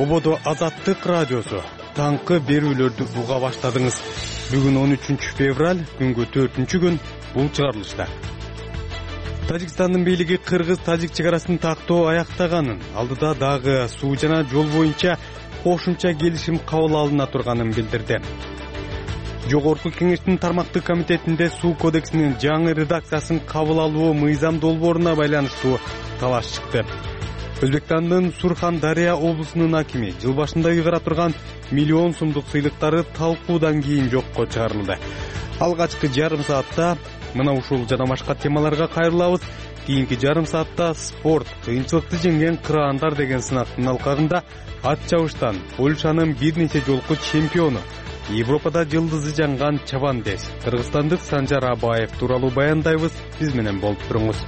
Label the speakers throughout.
Speaker 1: Ободо Азаттык радиосу таңкы берүүлөрдү уга баштадыңыз. Бүгүн 13 февраль, күнгө 4-күн, бул чыгарылышта. Тажикстандын бийлиги кыргыз-тажик чегарасын тактоо аяктаганын, алдыда дагы суу жана жол боюнча кошумча келишим кабыл алына турганын билдирди. Жогорку кеңештин тармактык комитетинде суу кодексинин жаңы редакциясын кабыл алуу мыйзам долбооруна байланыштуу талаш чыкты. Өзбекстандын Сурхан-Дария облусунун акими жыл башында ыйгара турган миллион сомдук сыйлыктары талкуудан кийин жокко чыгарылды. Алгачкы жарым саатта мына ушул жана башка темаларга кайрылабыз. Кийинки жарым саатта спорт, кыйынчылыкты жеңген кыраандар деген сынактын алкагында ат чабыштан Польшанын бир нече жолку чемпиону, Европада жылдызы жанган чабандес кыргызстандык Санжар Абаев тууралуу баяндайбыз. Биз менен болуп туруңуз.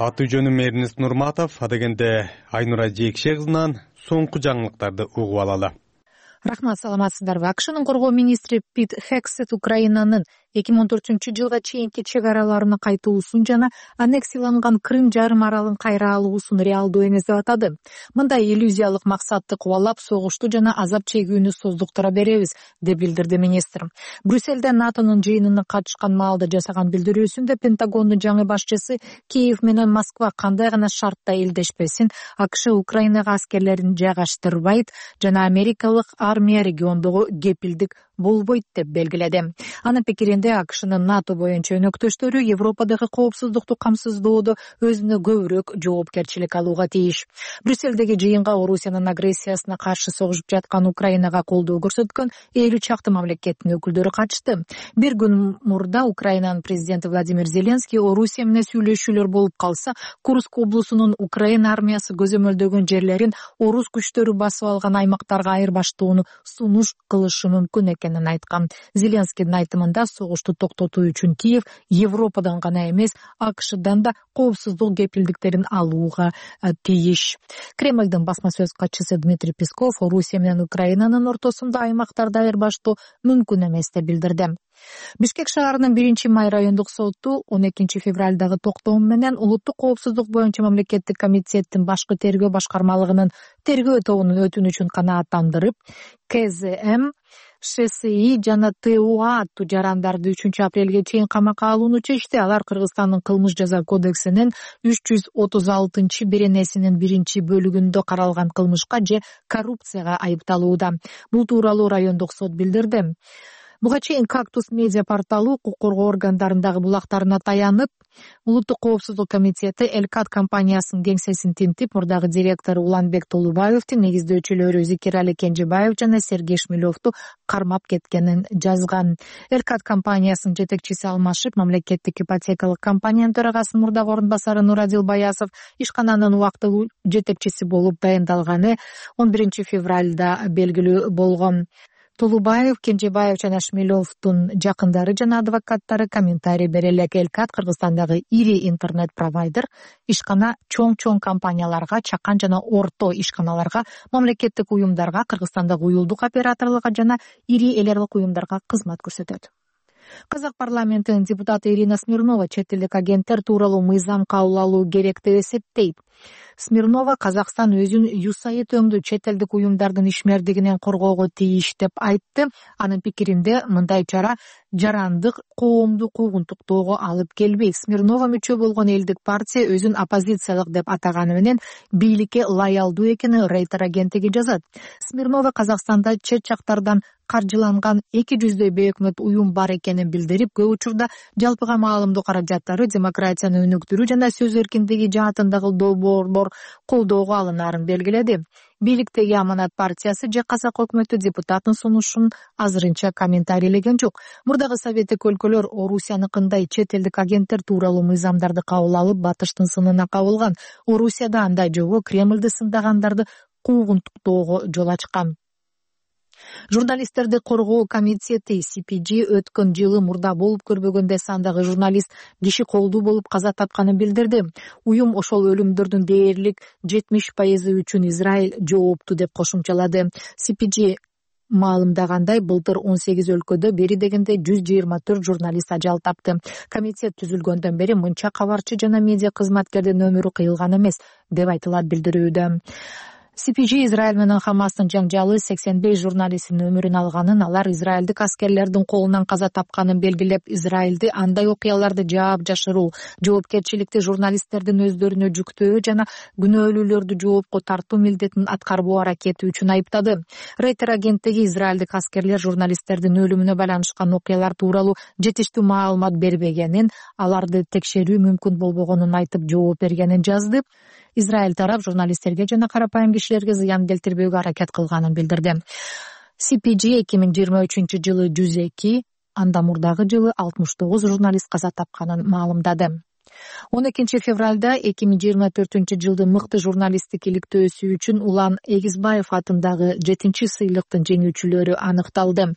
Speaker 1: Аты жөнүм Эрнест Нурматов, адегенде Айнура Жекше кызынан соңку жаңылыктарды угуп алалы.
Speaker 2: Рахмат, саламатсыздарбы? АКШнын коргоо министри Пит Хексет Украинанын 2014-жылга чейинки чек араларына кайтуусун жана аннексияланган Крым жарым аралын кайра алуусун реалдуу эмес деп атады. Мындай иллюзиялык максатты кубалап, согушту жана азап чегүүнү создуктура беребиз, деп билдирди министр. Брюссельде НАТОнун жыйынына катышкан маалда жасаган билдирүүсүндө Пентагондун жаңы башчысы Киев менен Москва кандай гана шартта элдешпесин, АКШ Украинага аскерлерин жайгаштырбайт жана америкалык армия региондогу кепилдик болбойт деп белгиледи. Анын пикиринде АКШнын НАТО боюнча өнөктөштөрү Европадагы коопсуздукту камсыздоодо өзүнө көбүрөөк жоопкерчилик алууга тийиш. Брюссельдеги жыйынга Орусиянын агрессиясына каршы согушуп жаткан Украинага колдоо көрсөткөн 50 чакты мамлекеттин өкүлдөрү катышты. Бир күн мурда Украинанын президенти Владимир Зеленский Орусия менен сүйлөшүүлөр болуп калса, Курск облусунун Украина армиясы көзөмөлдөгөн жерлерин орус күчтөрү басып алган аймактарга айырбаштоону сунуш кылышы мүмкүн экенин айткан. Зеленскийдин айтымында согушту токтотуу үчүн Киев Европадан гана эмес, АКШдан да коопсуздук кепилдиктерин алууга тийиш. Кремлдин басма сөз катчысы Дмитрий Песков Орусия менен Украинанын ортосунда аймактарды айырбаштоо мүмкүн эмес деп билдирди. Бишкек шаарынын 1-май райондук соту 12 февралдагы токтом менен улуттук коопсуздук боюнча мамлекеттик комитеттин башкы тергөө башкармалыгынын тергөө тобунун өтүнүчүн канааттандырып, КЗМ, ШСИ жана ТУА аттуу жарандарды 3 апрелге чейин камакка алууну чечти. Алар Кыргызстандын кылмыш жаза кодексинин 336 беренесинин 1-бөлүгүндө каралган кылмышка же коррупцияга айыпталууда. Бул тууралуу райондук сот билдирди. Буга чейин Кактус медиа порталы укук коргоо органдарындагы булактарына таянып, Улуттук коопсуздук комитети Элкат компаниясынын кеңсесин тинтип, мурдагы директору Уланбек Толубаевдин, негиздөөчүлөрү Зикирали Кенжебаев жана Сергей Шмелевду кармап кеткенин жазган. Элкат компаниясынын жетекчиси алмашып, мамлекеттик ипотекалык компаниянын төрагасынын мурдагы орун басары Нурадил Баясов ишкананын убактылуу жетекчиси болуп дайындалганы 11 февралда белгилүү болгон. Толубаев, Кенжебаев жана Шмелевдун жакындары жана адвокаттары комментарий бере элек. Элкат Кыргызстандагы ири интернет-провайдер, ишкана чоң компанияларга, чакан жана орто ишканаларга, мамлекеттик уюмдарга, Кыргызстандагы уюлдук операторлорго жана ири эл аралык уюмдарга кызмат көрсөтөт. Казак парламентинин депутаты Ирина Смирнова чет элдик агенттер тууралуу мыйзам кабыл алуу керек деп эсептейт. Смирнова Казакстан өзүн USAID өңдүү чет элдик уюмдардын ишмердигинен коргоого тийиш деп айтты. Анын пикиринде мындай чара жарандык коомду куугунтуктоого алып келбейт. Смирнова мүчө болгон элдик партия өзүн оппозициялык деп атаганы менен бийликке лоялдуу экенин Рейтер агенттиги жазат. Смирнова Казакстанда чет жактардан каржыланган 200 бейөкмөт уюм бар экенин билдирип, көп учурда жалпыга маалымдоо каражаттары демократияны өнүктүрүү жана сөз эркиндиги жаатындагы долбоорлор колдоого алынаарын белгиледи. Бийликтеги Аманат партиясы же Казак өкмөтү депутаттын сунушун азырынча комментарийлеген жок. Мурдагы советтик өлкөлөр Орусияныкындай чет элдик агенттер тууралуу мыйзамдарды кабыл алып, батыштын сынына кабылган. Орусияда андай жолго Кремлди сындагандарды куугунтуктоого жол ачкан. Журналисттерди коргоо комитети CPG өткөн жылы мурда болуп көрбөгөндөй сандагы журналист киши колдуу болуп каза тапканын билдирди. Уюм ошол өлүмдөрдүн дээрлик 70% үчүн Израиль жоопту деп кошумчалады. CPG маалымдагандай, былтыр 18 өлкөдө бери дегенде 124 журналист ажал тапты. Комитет түзүлгөндөн бери мынча кабарчы жана медиа кызматкердин өмүрү кыйылган эмес, деп айтылат билдирүүдө. CPJ Израиль менен Хамастын жаңжалы 85 журналисттин өмүрүн алганын, алар израилдик аскерлердин колунан каза тапканын белгилеп, Израилди андай окуяларды жаап жашыруу, жоопкерчиликти журналисттердин өздөрүнө жүктөө жана күнөөлүүлөрдү жоопко тартуу милдетин аткарбоо аракети үчүн айыптады. Рейтер агенттиги израилдик аскерлер журналисттердин өлүмүнө байланышкан окуялар тууралуу жетиштүү маалымат бербегенин, аларды текшерүү мүмкүн болбогонун айтып жооп бергенин жазды. Израиль тарап журналисттерге жана карапайым кишилерге зыян келтирбөөгө аракет кылганын билдирди. CPJ 2023-жылы 102, андан мурдагы жылы 69 журналист каза тапканын маалымдады. 12 февралда 2024-жылдын мыкты журналисттик иликтөөсү үчүн Улан Эгизбаев атындагы 7-сыйлыктын жеңүүчүлөрү аныкталды.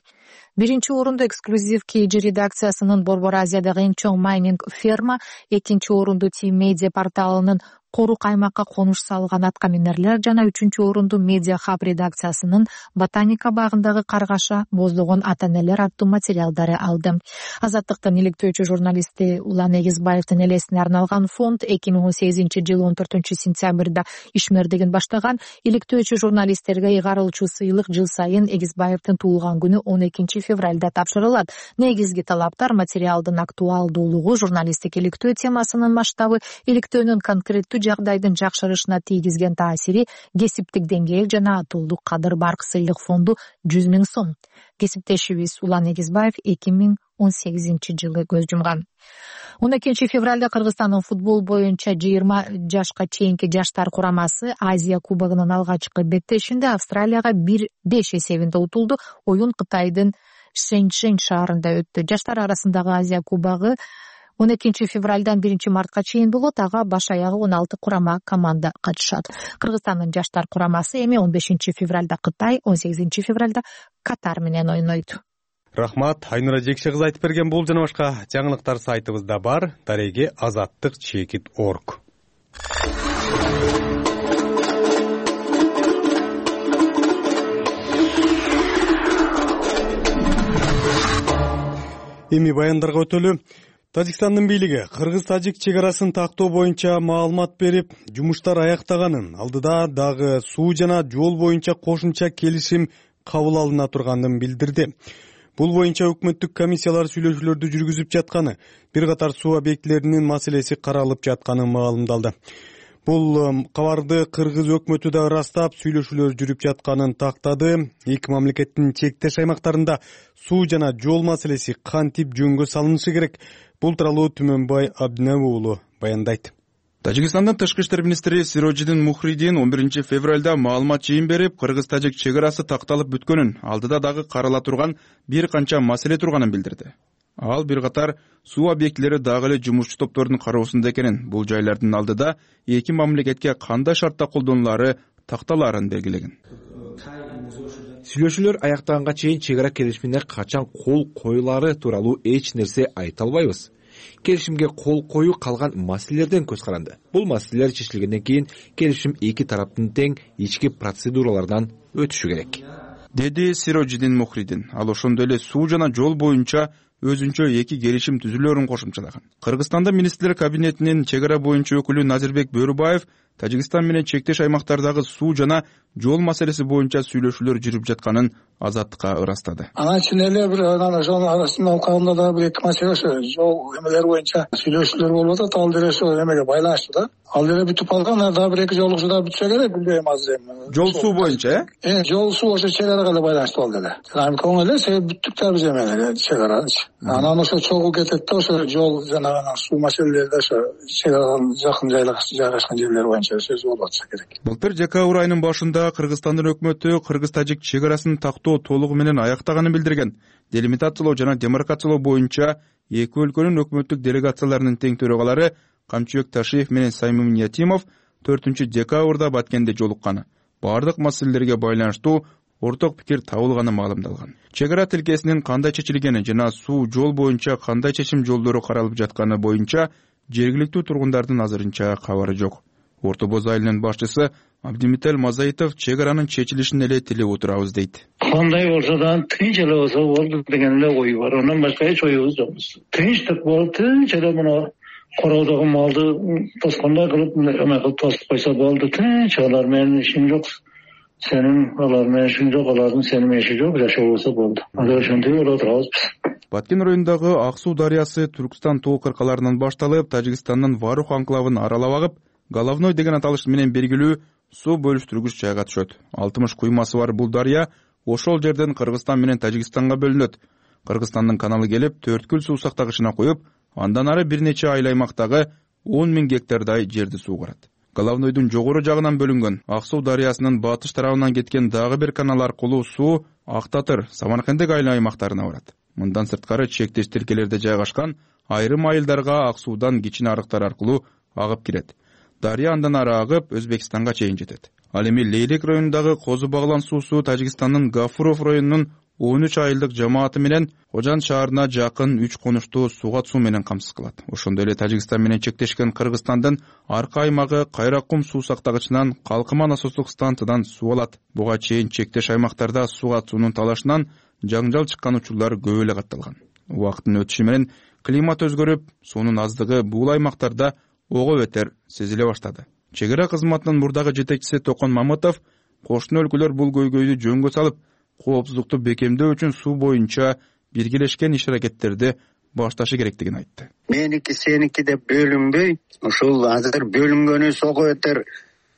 Speaker 2: Биринчи орунду эксклюзив KG редакциясынын Борбор Азиядагы эң чоң майнинг ферма, экинчи орунду Team Media порталынын Корук аймакка конуш салган аткаминерлер жана үчүнчү орунду Media Hub редакциясынын Ботаника багындагы каргаша боздогон ата-энелер аттуу материалдары алды. Азаттыктын иликтөөчү журналисти Улан Эгизбаевдин элесине арналган фонд 2018-жылы 14-сентябрда ишмердигин баштаган. Иликтөөчү журналисттерге ыйгарылчу сыйлык жыл сайын Эгизбаевдин туулган күнү 12 февралда тапшырылат. Негизги талаптар материалдын актуалдуулугу, журналисттик иликтөө темасынын масштабы, иликтөөнүн конкреттүү жагдайдын жакшырышына тийгизген таасири, кесиптик деңгээл жана атуулдук кадыр бар. Сыйлык фонду 100 000 сом. Кесиптешибиз Улан Эгизбаев 2018-жылы көз жумган. 12 февралда Кыргызстандын футбол боюнча 20 жашка чейинки жаштар курамасы Азия кубогунун алгачкы беттешинде Австралияга 1-5 эсебинде утулду. Оюн Кытайдын Шэньчжэнь шаарында өттү. Жаштар арасындагы Азия кубогу 12 февралдан 1 мартка чейин болот. Ага баш аягы 16 курама команда катышат. Кыргызстандын жаштар курамасы эми 15 февралда Кытай, 18 февралда Катар менен ойнойт.
Speaker 1: Рахмат, Айнура Жекше кызы айтып берген бул жана башка жаңылыктар сайтыбызда бар. Дареги azаттык.org. Эми баяндарга өтөлү. Тажикстандын бийлиги кыргыз-тажик чек арасын тактоо боюнча маалымат берип, жумуштар аяктаганын, алдыда дагы суу жана жол боюнча кошумча келишим кабыл алына турганын билдирди. Бул боюнча өкмөттүк комиссиялар сүйлөшүүлөрдү жүргүзүп жатканы, бир катар суу объектилеринин маселеси каралып жатканы маалымдалды. Бул кабарды кыргыз өкмөтү да ырастап, сүйлөшүүлөр жүрүп жатканын тактады. Эки мамлекеттин чектеш аймактарында суу жана жол маселеси кантип жөнгө салынышы керек? Бул тууралуу Түмөнбай Абдиневи уулу баяндайт.
Speaker 3: Тажикстандын тышкы иштер министри Сирожидин Мухридин 11 февралда маалымат жыйын берип, кыргыз-тажик чек арасы такталып бүткөнүн, алдыда дагы карала турган бир канча маселе турганын билдирди. Ал бир катар суу объектилери дагы эле жумушчу топтордун кароосунда экенин, бул жайлардын алдыда эки мамлекетке кандай шартта колдонулары такталаарын белгилеген.
Speaker 4: Сүйлөшүүлөр аяктаганга чейин чек ара келишимине качан кол коюлары тууралуу эч нерсе айта албайбыз. Келишимге кол коюу калган маселелерден көз каранды. Бул маселелер чечилгенден кийин келишим эки тараптын тең ички процедуралардан өтүшү керек,
Speaker 3: деди Сирожидин Мухридин. Ал ошондой эле суу жана жол боюнча өзүнчө эки келишим түзүлөрүн кошумчалаган. Кыргызстанда министрлер кабинетинин чек ара боюнча өкүлү Назирбек Бөрүбаев Тажикстан менен чектеш аймактардагы суу жана жол маселеси боюнча сүйлөшүүлөр жүрүп жатканын Азаттыкка ырастады.
Speaker 5: Анан ичинде эле бир жол арасында алкагында да бир эки маселе ошо жол эмелер боюнча сүйлөшүүлөр болуп атат. Ал деле ошо эмеге байланыштуу да. Ал деле бүтүп калган, дагы бир эки жолугусу да бүтсө керек, билбейм азыр эми.
Speaker 3: Жол суу боюнча,
Speaker 5: жол суу ошо чек арага эле байланыштуу ал деле. Жана коң эле себеп бүттүк да биз эмелер чек арачы. Анан ошо чогуу кетет да, ошо жол жана суу маселелери да ошо чек арадан жакын жайгашкан жерлер боюнча сөз болуп атса керек.
Speaker 3: Былтыр декабрь айынын башында Кыргызстандын өкмөтү кыргыз-тажик чек арасын тактоо толугу менен аяктаганын билдирген. Делимитациялоо жана демаркациялоо боюнча эки өлкөнүн өкмөттүк делегацияларынын тең төрагалары Камчыбек Ташиев менен Саймим Ниятимов 4 декабрда Баткенде жолукканы, бардык маселелерге байланыштуу орток пикир табылганы маалымдалган. Чек ара тилкесинин кандай чечилгени жана суу жол боюнча кандай чечим жолдору каралып жатканы боюнча жергиликтүү тургундардын азырынча кабары жок. Орто Боз айылынын башчысы Абдимител Мазаитов чек аранын чечилишин эле тилеп отурабыз дейт.
Speaker 6: Кандай болсо да тынч эле болсо болду деген эле ой бар. Андан башка эч оюбуз жокпуз. Тынчтык болуп, тынч эле мына короодогу малды тоскондой кылып эме кылып тосуп койсо болду. Тынч, алар менин ишим жок. Сенин алар менен ишим жок, алардын сенин иши жок, жашоо болсо болду. Анда ошентип эле отурабыз биз.
Speaker 3: Баткен районундагы Ак Суу дарыясы Түркстан тоо кыркаларынан башталып, Тажикстандын Варух анклавын аралап агып, Головной деген аталыш менен белгилүү суу бөлүштүргүч жайга түшөт. 60 куймасы бар бул дарыя ошол жерден Кыргызстан менен Тажикстанга бөлүнөт. Кыргызстандын каналы келип, Төрткүл суу сактагычына куюп, андан ары бир нече айыл аймактагы 10 000 гектардай жерди суугарат. Головнойдун жогору жагынан бөлүнгөн Ак Суу дарыясынын батыш тарабынан кеткен дагы бир канал аркылуу суу Ак Татыр, Самаркандек айыл аймактарына барат. Мындан сырткары чектеш тилкелерде жайгашкан айрым айылдарга Ак Суудан кичине арыктар аркылуу агып кирет. Дарыя андан ары агып Өзбекстанга чейин жетет. Ал эми Лейлек районундагы Козу Баглан суусу Тажикстандын Гафуров районунун 13 айылдык жамааты менен Кожан шаарына жакын 3 конушту сууга суу менен камсыз кылат. Ошондой эле Тажикстан менен чектешкен Кыргызстандын арка аймагы Кайраккум суу сактагычынан Калкыма насостук станциядан суу алат. Буга чейин чектеш аймактарда сууга суунун талашынан жаңжал чыккан учурлар көп эле катталган. Убакыттын өтүшү менен климат өзгөрүп, суунун аздыгы бул аймактарда ого бетер сезиле баштады. Чек ара кызматынын мурдагы жетекчиси Токон Мамытов кошуна өлкөлөр бул көйгөйдү жөнгө салып, коопсуздукту бекемдөө үчүн суу боюнча биргелешкен иш-аракеттерди башташы керектигин айтты.
Speaker 7: Меники сеники деп бөлүнбөй, ушул азыр бөлүнгөнү ого бетер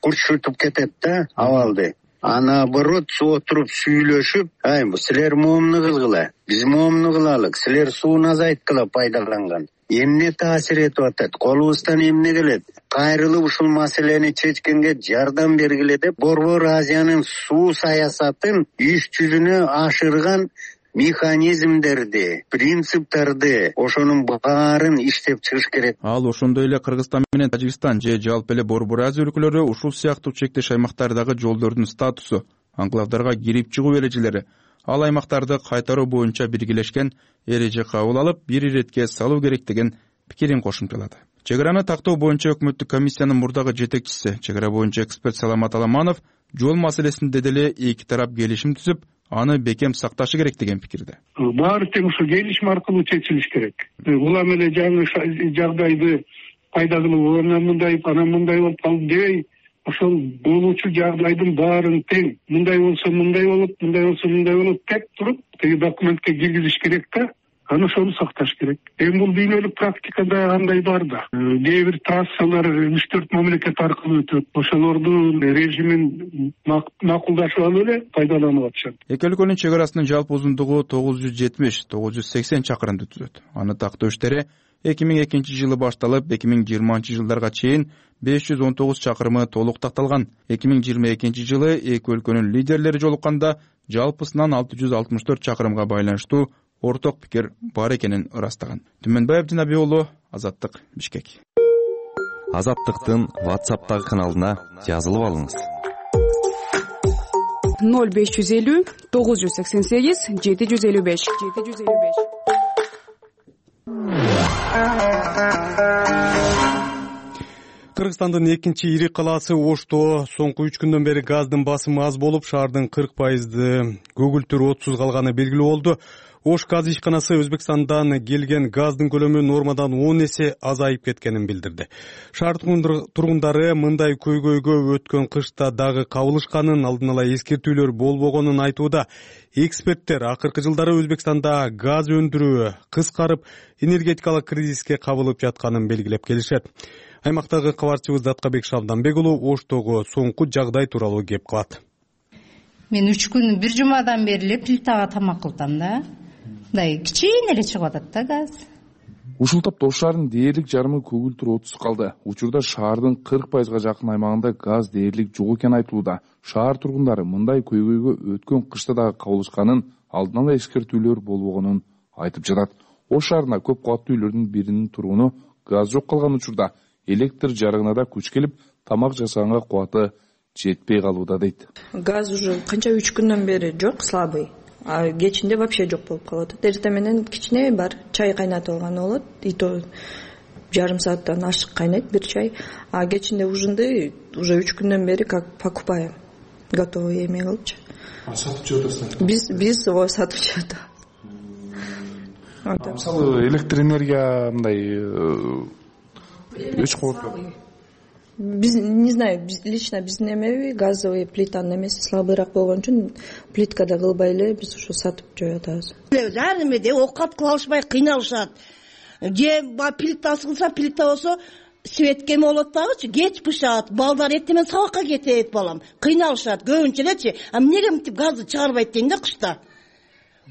Speaker 7: курчутуп кетет да абалды. Наоборот, отуруп сүйлөшүп, силер моомну кылгыла, биз моомну кылалык, силер сууну азайткыла пайдаланган. Эмне таасир этип атат, колубуздан эмне келет, кайрылып ушул маселени чечкенге жардам бергиле деп Борбор Азиянын суу саясатын иш жүзүнө ашырган механизмдерди, принциптарды, ошонун баарын иштеп чыгыш керек.
Speaker 3: Ал ошондой эле Кыргызстан менен Тажикстан же жалпы эле Борбор Азия өлкөлөрү ушул сыяктуу чектеш аймактардагы жолдордун статусу, анклавдарга кирип чыгуу эрежелери, ал аймактарды кайтаруу боюнча биргелешкен эреже кабыл алып, бир иретке салуу керектигин пикирин кошумчалады. Чек араны тактоо боюнча өкмөттүк комиссиянын мурдагы жетекчиси, чек ара боюнча эксперт Саламат Аламанов жол маселесинде деле эки тарап келишим түзүп, аны бекем сакташы керек деген пикирде.
Speaker 8: Баары тең ушу келишим аркылуу чечилиш керек. Улам эле жаңы жагдайды пайдалануу, анан мындай болуп калды дебей, ошол болуучу жагдайдын баарын тең мындай болсо мындай болот, мындай болсо мындай болот деп туруп, теги документке киргизиш керек да. Аны ошону сакташ керек. Бул дүйнөлүк практикада андай бар да. Кээ бир трассалар 3-4 мамлекет аркылуу өтөт. Ошолордун режимин макулдашып алып эле пайдаланып атышат.
Speaker 3: Эки өлкөнүн чек арасынын жалпы узундугу 970-980 чакырымды түзөт. Аны тактоо иштери 2002 жылы башталып, 2020 жылдарга чейин 519 чакырымы толук такталган. 2022 жылы эки өлкөнүн лидерлери жолукканда жалпысынан 664 чакырымга байланыштуу орток пикир бар экенин ырастаган. Түмөнбай Абдинаби уулу, Азаттык, Бишкек.
Speaker 9: Азаттыктын WhatsApp'тагы каналына жазылып алыңыз.
Speaker 10: 0550 988 755.
Speaker 1: Кыргызстандын экинчи ири калаасы Ошто соңку 3 күндөн бери газдын басымы аз болуп, шаардын 40% көгүлтүр отсуз калганы белгилүү болду. Ош газ ишканасы Өзбекстандан келген газдын көлөмү нормадан 10 эсе азайып кеткенин билдирди. Шаар тургундары мындай көйгөйгө өткөн кышта дагы кабылышканын, алдын ала эскертүүлөр болбогонун айтууда. Эксперттер акыркы жылдары Өзбекстанда газ өндүрүү кыскарып, энергетикалык кризиске кабылып жатканын белгилеп келишет. Аймактагы кабарчыбыз Даткабек Шабданбек уулу Оштогу соңку жагдай тууралуу кеп кылат.
Speaker 11: Мен 3 күн, бир жумадан бери эле плитага тамак кылтам да. Мындай кичине эле чыгып атат да газ.
Speaker 12: Ушул тапта Ош шаарынын дээрлик жарымы көгүлтүр отсуз калды. Учурда шаардын 40% жакын аймагында газ дээрлик жок экени айтылууда. Шаар тургундары мындай көйгөйгө өткөн кышта дагы кабылышканын, алдын ала эскертүүлөр болбогонун айтып жатат. Ош шаарына көп кабаттуу үйлөрдүн биринин тургуну газ жок калган учурда электр жарыгына да күч келип, тамак жасаганга кубаты жетпей калууда дейт.
Speaker 13: Газ уже канча 3 күндөн бери жок, слабый. А кечинде вообще жок болуп калат. Эртең менен кичине бар, чай кайнатып алган болот. И то жарым сааттан ашык кайнайт бир чай, а кечинде ужинди уже 3 күндөн бери как покупаем готовый эмей кылыпчы.
Speaker 12: Сатып жеп атасыздар?
Speaker 13: Биз сатып жеп атабыз.
Speaker 12: Мисалы электр энергия мындай өч кубатка.
Speaker 13: Биз не знаю, лично биздин эмеби газовый плитанын эмеси слабыйраак болгон үчүн плиткада кылбай эле биз ушу сатып жеп атабыз.
Speaker 14: Ар эмеде оокат кыла алышпай кыйналышат. Же плитасы кылса, плита болсо светке эме болот дагычы, кеч бышат, балдар эртең сабакка кетет балам. Кыйналышат көбүнчө элечи. А эмнеге мынтип газды чыгарбайт дейм да кышта.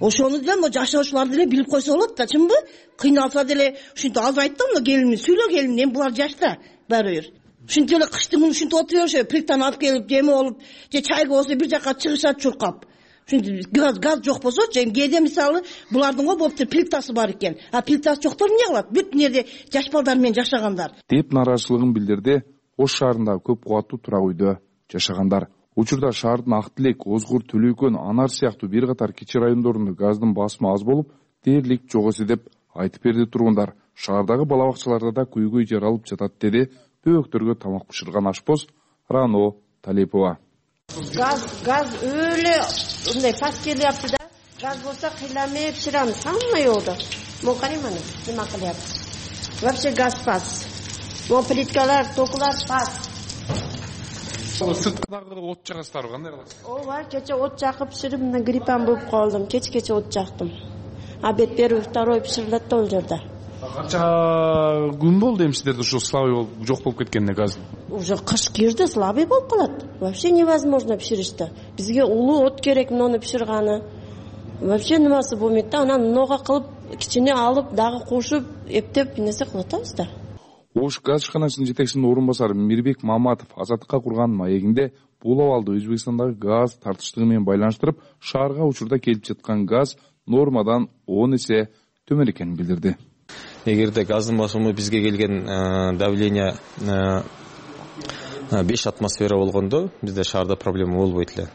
Speaker 14: Ошону деле мо жашоочулар деле билип койсо болот да, чынбы? Кыйналса деле ушинтип азайт да, мына келиним, сүйлө келиним, эми булар жашта баары бир. Ушинтип эле кыштын күнү ушинтип отура беришет, плитаны алып келип, эме болуп, же чайга болсо бир жака чыгышат чуркап. Ушинтип газ жок болсочу, эми кээде мисалы булардын го болуптур плитасы бар экен. А плитасы жоктор эмне кылат? Бүт жерде жаш балдар менен жашагандар.
Speaker 12: Деп нааразычылыгын билдирди Ош шаарындагы көп кубаттуу турак үйдө жашагандар. Учурда шаардын Ак Тилек, Озгур, Төлөйкөн, Анар сыяктуу бир катар кичи райондорунда газдын басымы аз болуп, дээрлик жок эсе деп айтып берди тургундар. Шаардагы бала бакчаларда да күйгөй жаралып жатат деди бөөктөргө тамак бышырган ашпоз Рано Талипова.
Speaker 15: Газ өлө мындай пас келиапты да. Газ болсо кыйламай бышырамыз, самый жолдо. Могу карайм аны, нема кылыпты. Вообще газ пас. Могу плиткалар, токулар пас.
Speaker 12: Сырткадагы от жагасыздарбы, кандай кыласыз?
Speaker 15: Ооба, кече от жакып бышырып, мына гриппан болуп калдым. Кече от жактым. Обед первый, второй бышырылат да ол жерде.
Speaker 12: Канча күн болду эми сиздерде ушу слабый болуп жок болуп кеткенине газ?
Speaker 15: Уже кыш кирди, слабый болуп калат. Вообще невозможно бышырышты. Бизге улуу от керек муну бышырганы. Вообще немасы болмойт да, анан много кылып, кичине алып, дагы кошуп, эптеп нерсе кылып атабыз да.
Speaker 12: Ош газ ишканасынын жетекчисинин орун басары Мирбек Маматов Азаттыкка курган маегинде бул абалды Өзбекстандагы газ тартыштыгы менен байланыштырып, шаарга учурда келип жаткан газ нормадан 10 эсе төмөн экенин билдирди.
Speaker 16: Эгерде газдын басымы бизге келген давление 5 атмосфера болгондо бизде шаарда проблема болбойт эле.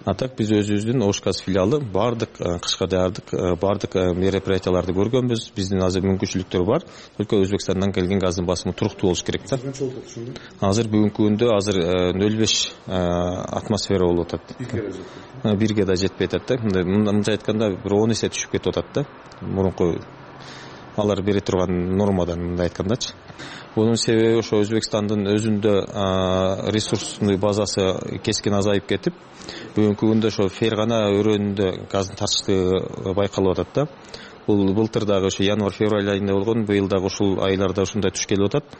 Speaker 16: А так биз өзүбүздүн Ош газ филиалы бардык кышка даярдык, бардык мероприятияларды көргөнбүз. Биздин азыр мүмкүнчүлүктөр бар. Только Өзбекстандан келген газдын басымы туруктуу болуш керек да. Азыр бүгүнкү күндө азыр 0,5 атмосфера болуп атат. 1ге да жетпей атат да. Мындай айтканда бир 10 эсе түшүп кетип атат да. Мурунку алар бере турган нормадан мындай айткандачы. Бунун себеби ошо Өзбекстандын өзүндө ресурсный базасы кескин азайып кетип, бүгүнкү күндө ошо Фергана өрөөнүндө газдын тартыштыгы байкалып атат да. Бул былтыр дагы ошо январь-февраль айында болгон, быйыл дагы ушул айларда ушундай туш келип атат.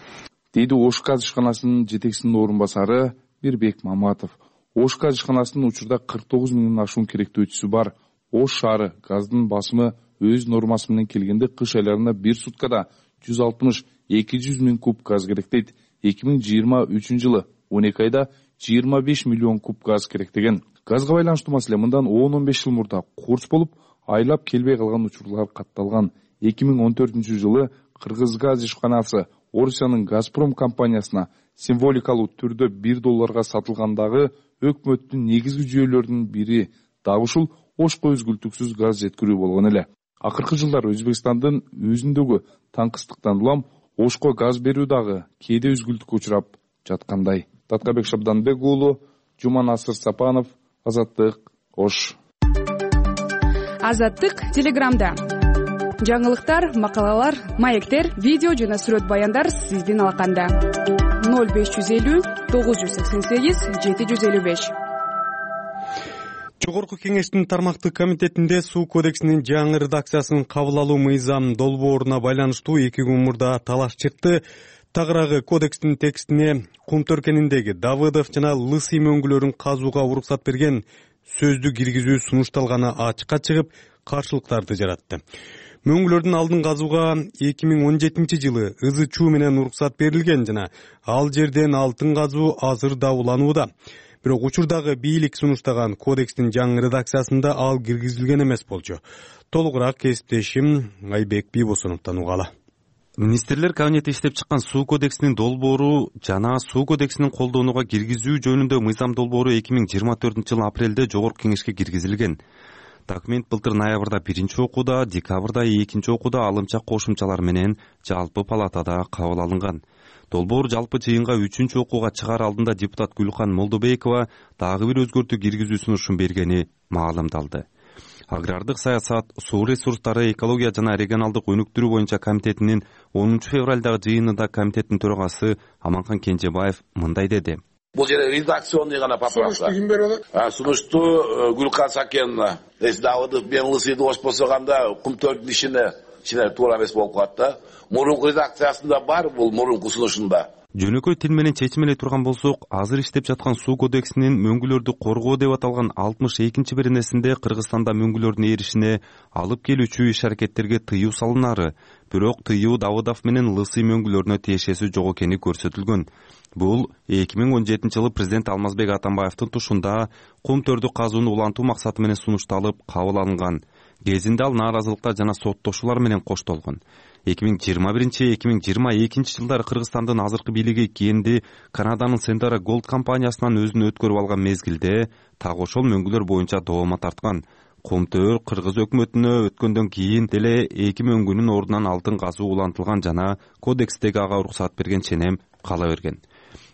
Speaker 12: Дейди Ош газ ишканасынын жетекчисинин орун басары Мирбек Маматов. Ош газ ишканасынын учурда 49 миңден ашуун керектөөчүсү бар. Ош шаары газдын басымы өз нормасы менен келгенде кыш айларында бир суткада 160-200 миң куб газ керек дейт. 2023 жылы 12 айда 25 миллион куб газ керек деген. Газга байланыштуу маселе мындан 10-15 жыл мурда курс болуп, айлап келбей калган учурлар катталган. 2014 жылы Кыргыз газ ишканасы Орусиянын Газпром компаниясына символикалуу түрдө $1 сатылгандагы өкмөттүн негизги жүйөлөрүнүн бири дагы ушул Ошко үзгүлтүксүз газ жеткирүү болгон эле. Акыркы жылдар Өзбекстандын өзүндөгү таңкыстыктан улам Ошко газ берүү дагы кээде үзгүлтүккө учурап жаткандай. Таткабек Шабданбек уулу, Жуманасыр Сапанов, Азаттык, Ош.
Speaker 10: Азаттык Телеграмда. Жаңылыктар, макалалар, маектер, видео жана сүрөт баяндар сиздин алаканда. 0550 988 755.
Speaker 1: Жогорку кеңештин тармактык комитетинде суу кодексинин жаңы редакциясын кабыл алуу мыйзам долбооруна байланыштуу 2 күн мурда талаш чыкты. Тагыраагы кодекстин текстине кум төркениндеги Давыдов жана Лысый мөңгүлөрүн казууга уруксат берген сөздү киргизүү сунушталганы ачыкка чыгып, каршылыктарды жаратты. Мөңгүлөрдүн алдын казууга 2017 жылы ызы чуу менен уруксат берилген жана ал жерден алтын казуу азыр да уланууда. Бирок учурдагы бийлик сунуштаган кодекстин жаңы редакциясында ал киргизилген эмес болчу. Толугураак кесиптешим Айбек Бийбосоновдон угалы.
Speaker 9: Министрлер кабинети иштеп чыккан суу кодексинин долбоору жана суу кодексинин колдонууга киргизүү жөнүндө мыйзам долбоору 2024 жылы апрелде жогорку кеңешке киргизилген. Документ былтыр ноябрда 1-окууда, декабрда 2-окууда алымча кошумчалар менен жалпы палатада кабыл алынган. Долбоор жалпы жыйынга 3-окууга чыгаар алдында депутат Гүлкан Молдобекова дагы бир өзгөртүү киргизүү сунушун бергени маалымдалды. Агрардык саясат, суу ресурстары, экология жана регионалдык өнүктүрүү боюнча комитетинин 10 февралдагы жыйынында комитеттин төрагасы Аманкан Кенжебаев мындай деди.
Speaker 17: Бул жерде редакционный гана поправка. Сунушту ким берип атат? Сунушту Гүлкан Сакеновна. Давыдов мен Лысыйды оспосоганда Кумтөрдүн ичине туура эмес болуп калат да. Мурунку редакциясында бар, бул мурунку сунушунда.
Speaker 9: Жөнөкөй тил менен чечим эле турган болсок, азыр иштеп жаткан суу кодексинин мөңгүлөрдү коргоо деп аталган 62-беренесинде Кыргызстанда мөңгүлөрдүн эришине алып келүүчү иш-аракеттерге тыюу салынары, бирок тыюу Давыдов менен Лысый мөңгүлөрүнө тиешеси жок экени көрсөтүлгөн. Бул 2017-жылы президент Алмазбек Атамбаевдин тушунда Кумтөрдү казууну улантуу максаты менен сунушталып кабыл алынган. Кезинде ал нааразылыктар жана соттошуулар менен коштолгон. 2021-2022 жылдары Кыргызстандын азыркы бийлиги кийинди Канаданын Sendara Gold компаниясынан өзүн өткөрүп алган мезгилде так ошол мөңгүлөр боюнча доомат тарткан. Кумтөр Кыргыз өкмөтүнө өткөндөн кийин деле 2 мөңгүнүн ордунан алтын казуу улантылган жана кодекстеги ага уруксат берген ченем кала берген.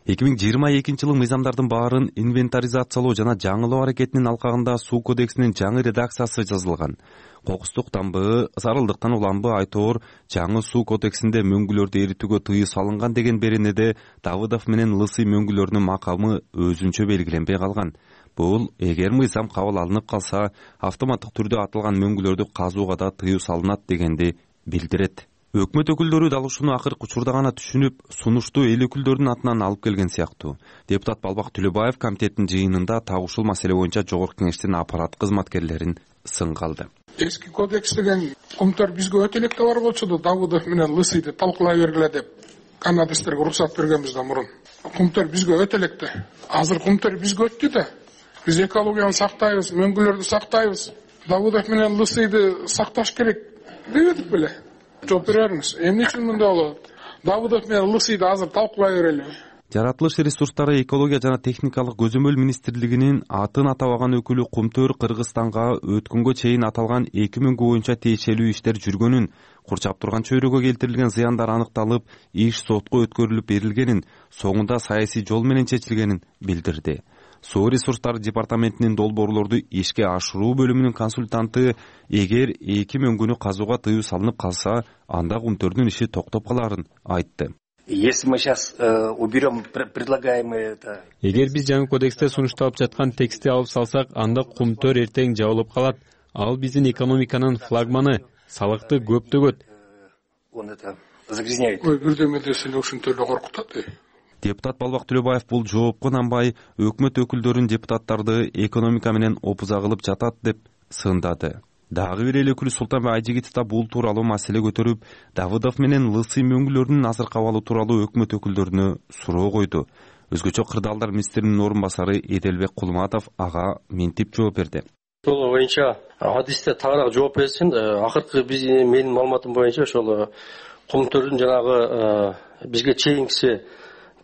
Speaker 9: 2022 жылы мыйзамдардын баарын инвентаризациялоо жана жаңылоо аракетинин алкагында суу кодексинин жаңы редакциясы жазылган. Кокустук тамбы, зарылдыктан уланбы айтоор жаңы суу кодексинде мөңгүлөрдү эритүүгө тыюу салынган деген беренеде Давыдов менен Лысый мөңгүлөрүнүн макамы өзүнчө белгиленбей калган. Бул эгер мыйзам кабыл алынып калса, автоматтык түрдө атылган мөңгүлөрдү казууга да тыюу салынат дегенди билдирет. Өкмөт өкүлдөрү дал ушуну акыркы учурда гана түшүнүп, сунушту эл өкүлдөрүнүн атынан алып келген сыяктуу. Депутат Балбак Түлөбаев комитеттин жыйынында так ушул маселе боюнча жогорку кеңештин аппарат кызматкерлерин сынга алды.
Speaker 8: Эски кодекс деген Кумтөр бизге өтө электе бар болчу, Давыдов менен Лысыйды талкуулай бергиле деп канадистерге уруксат бергенбизден мурун. Кумтөр бизге өтө электе. Азыр Кумтөр бизге өттү да. Биз экологияны сактайбыз, мөңгүлөрдү сактайбыз. Давыдов менен Лысыйды сакташ керек дебедик беле? Жооп бериңиз. Эмне үчүн мындай болот? Давыдов менен Лысыйды азыр талкуулай берели.
Speaker 9: Жаратылыш ресурстары, экология жана техникалык көзөмөл министрлигинин атын атабаган өкүлү Кумтөр Кыргызстанга өткөнгө чейин аталган 2 мөңгү боюнча тиешелүү иштер жүргөнүн, курчап турган чөйрөгө келтирилген зыяндар аныкталып, иш сотко өткөрүлүп берилгенин, соңунда саясий жол менен чечилгенин билдирди. Суу ресурстары департаментинин долбоорлорду ишке ашыруу бөлүмүнүн консультанты эгер 2 мөңгүнү казууга тыюу салынып калса, анда Кумтөрдүн иши токтоп каларын айтты.
Speaker 18: Если мы сейчас уберем предлагаемые это...
Speaker 19: Эгер биз жаңы кодексте сунушталып жаткан текстти алып салсак, анда Кумтөр эртең жабылып калат. Ал биздин экономиканын флагманы, салыкты көп төгөт.
Speaker 18: Он это загрязняет.
Speaker 8: Ой, бирдеме десе ушинтип эле коркутат.
Speaker 9: Депутат Балбак Түлөбаев бул жоопко нанбай, өкмөт өкүлдөрүн депутаттарды экономика менен опуза кылып жатат деп сындады. Дагы бир эл өкүлү Султанбек Айжигитов да бул тууралуу маселе көтөрүп, Давыдов менен Лысый мөңгүлөрүнүн азыркы абалы тууралуу өкмөт өкүлдөрүнө суроо койду. Өзгөчө кырдаалдар министринин орун басары Эделбек Кулматов ага мынтип жооп берди.
Speaker 20: Ошол боюнча адисте тагыраак жооп берсин. Акыркы менин маалыматым боюнча ошол Кумтөрдүн жанагы бизге чейинкиси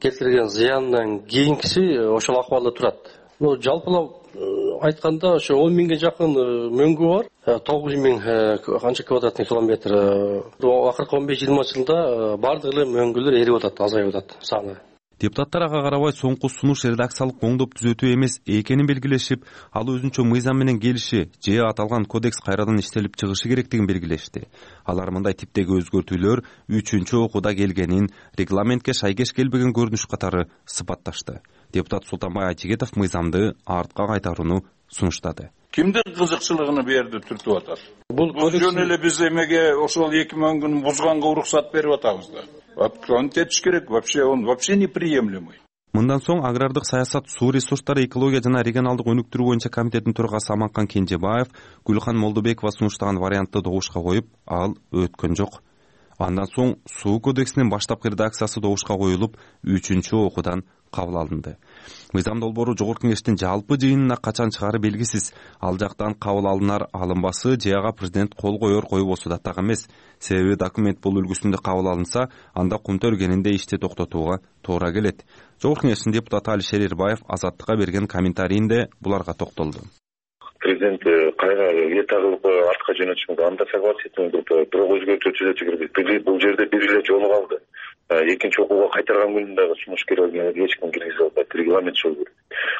Speaker 20: келтирген зыяндан кийинкиси ошол акыбалда турат. Жалпылап айтканда ошо 10 миңге жакын мөңгү бар. 9 миң канча квадратный километр. Акыркы 15-20 жылда бардык эле мөңгүлөр эрип атат, азайып атат саны.
Speaker 9: Депутаттар ага карабай соңку сунуш редакциялык оңдоп түзөтүү эмес экенин белгилешип, ал өзүнчө мыйзам менен келиши же аталган кодекс кайрадан иштелип чыгышы керектигин белгилешти. Алар мындай типтеги өзгөртүүлөр 3-окууда келгенин, регламентке шайкеш келбеген көрүнүш катары сыпатташты. Депутат Султанбай Айжигитов мыйзамды артка кайтарууну сунуштады.
Speaker 21: Кимдин кызыкчылыгын берди түртүп атат? Бул жөн эле биз эмеге ошол 2 мөңгүн бузганга уруксат берип атабыз да. Антетиш керек, он вообще неприемлемый.
Speaker 9: Мындан соң агрардык саясат, суу ресурстары, экология жана регионалдык өнүктүрүү боюнча комитеттин төрагасы Аманкан Кенжебаев Гүлкан Молдобекова сунуштаган вариантты добушка коюп, ал өткөн жок. Андан соң суу кодексинин баштапкы редакциясы добушка коюлуп, 3-окуудан кабыл алынды. Мыйзам долбоору жогорку кеңештин жалпы жыйынына качан чыгары белгисиз. Ал жактан кабыл алынар алынбасы же ага президент кол коер койбосу да так эмес. Себеби документ бул үлгүсүндө кабыл алынса, анда Кумтөр кенинде ишти токтотууга туура келет. Жогорку кеңештин депутаты Алишер Эрбаев Азаттыкка берген комментарийинде буларга токтолду.
Speaker 2: президент кайра эта кылып артка жөнөтүш мүмкүн, анда согласительный группа бирок өзгөртүү түзөтү керек. Бул жерде бир эле жолу калды. Экинчи окууга кайтарган күнү дагы сумушкерлерге эч ким киргизе албайт, регламент жол берет.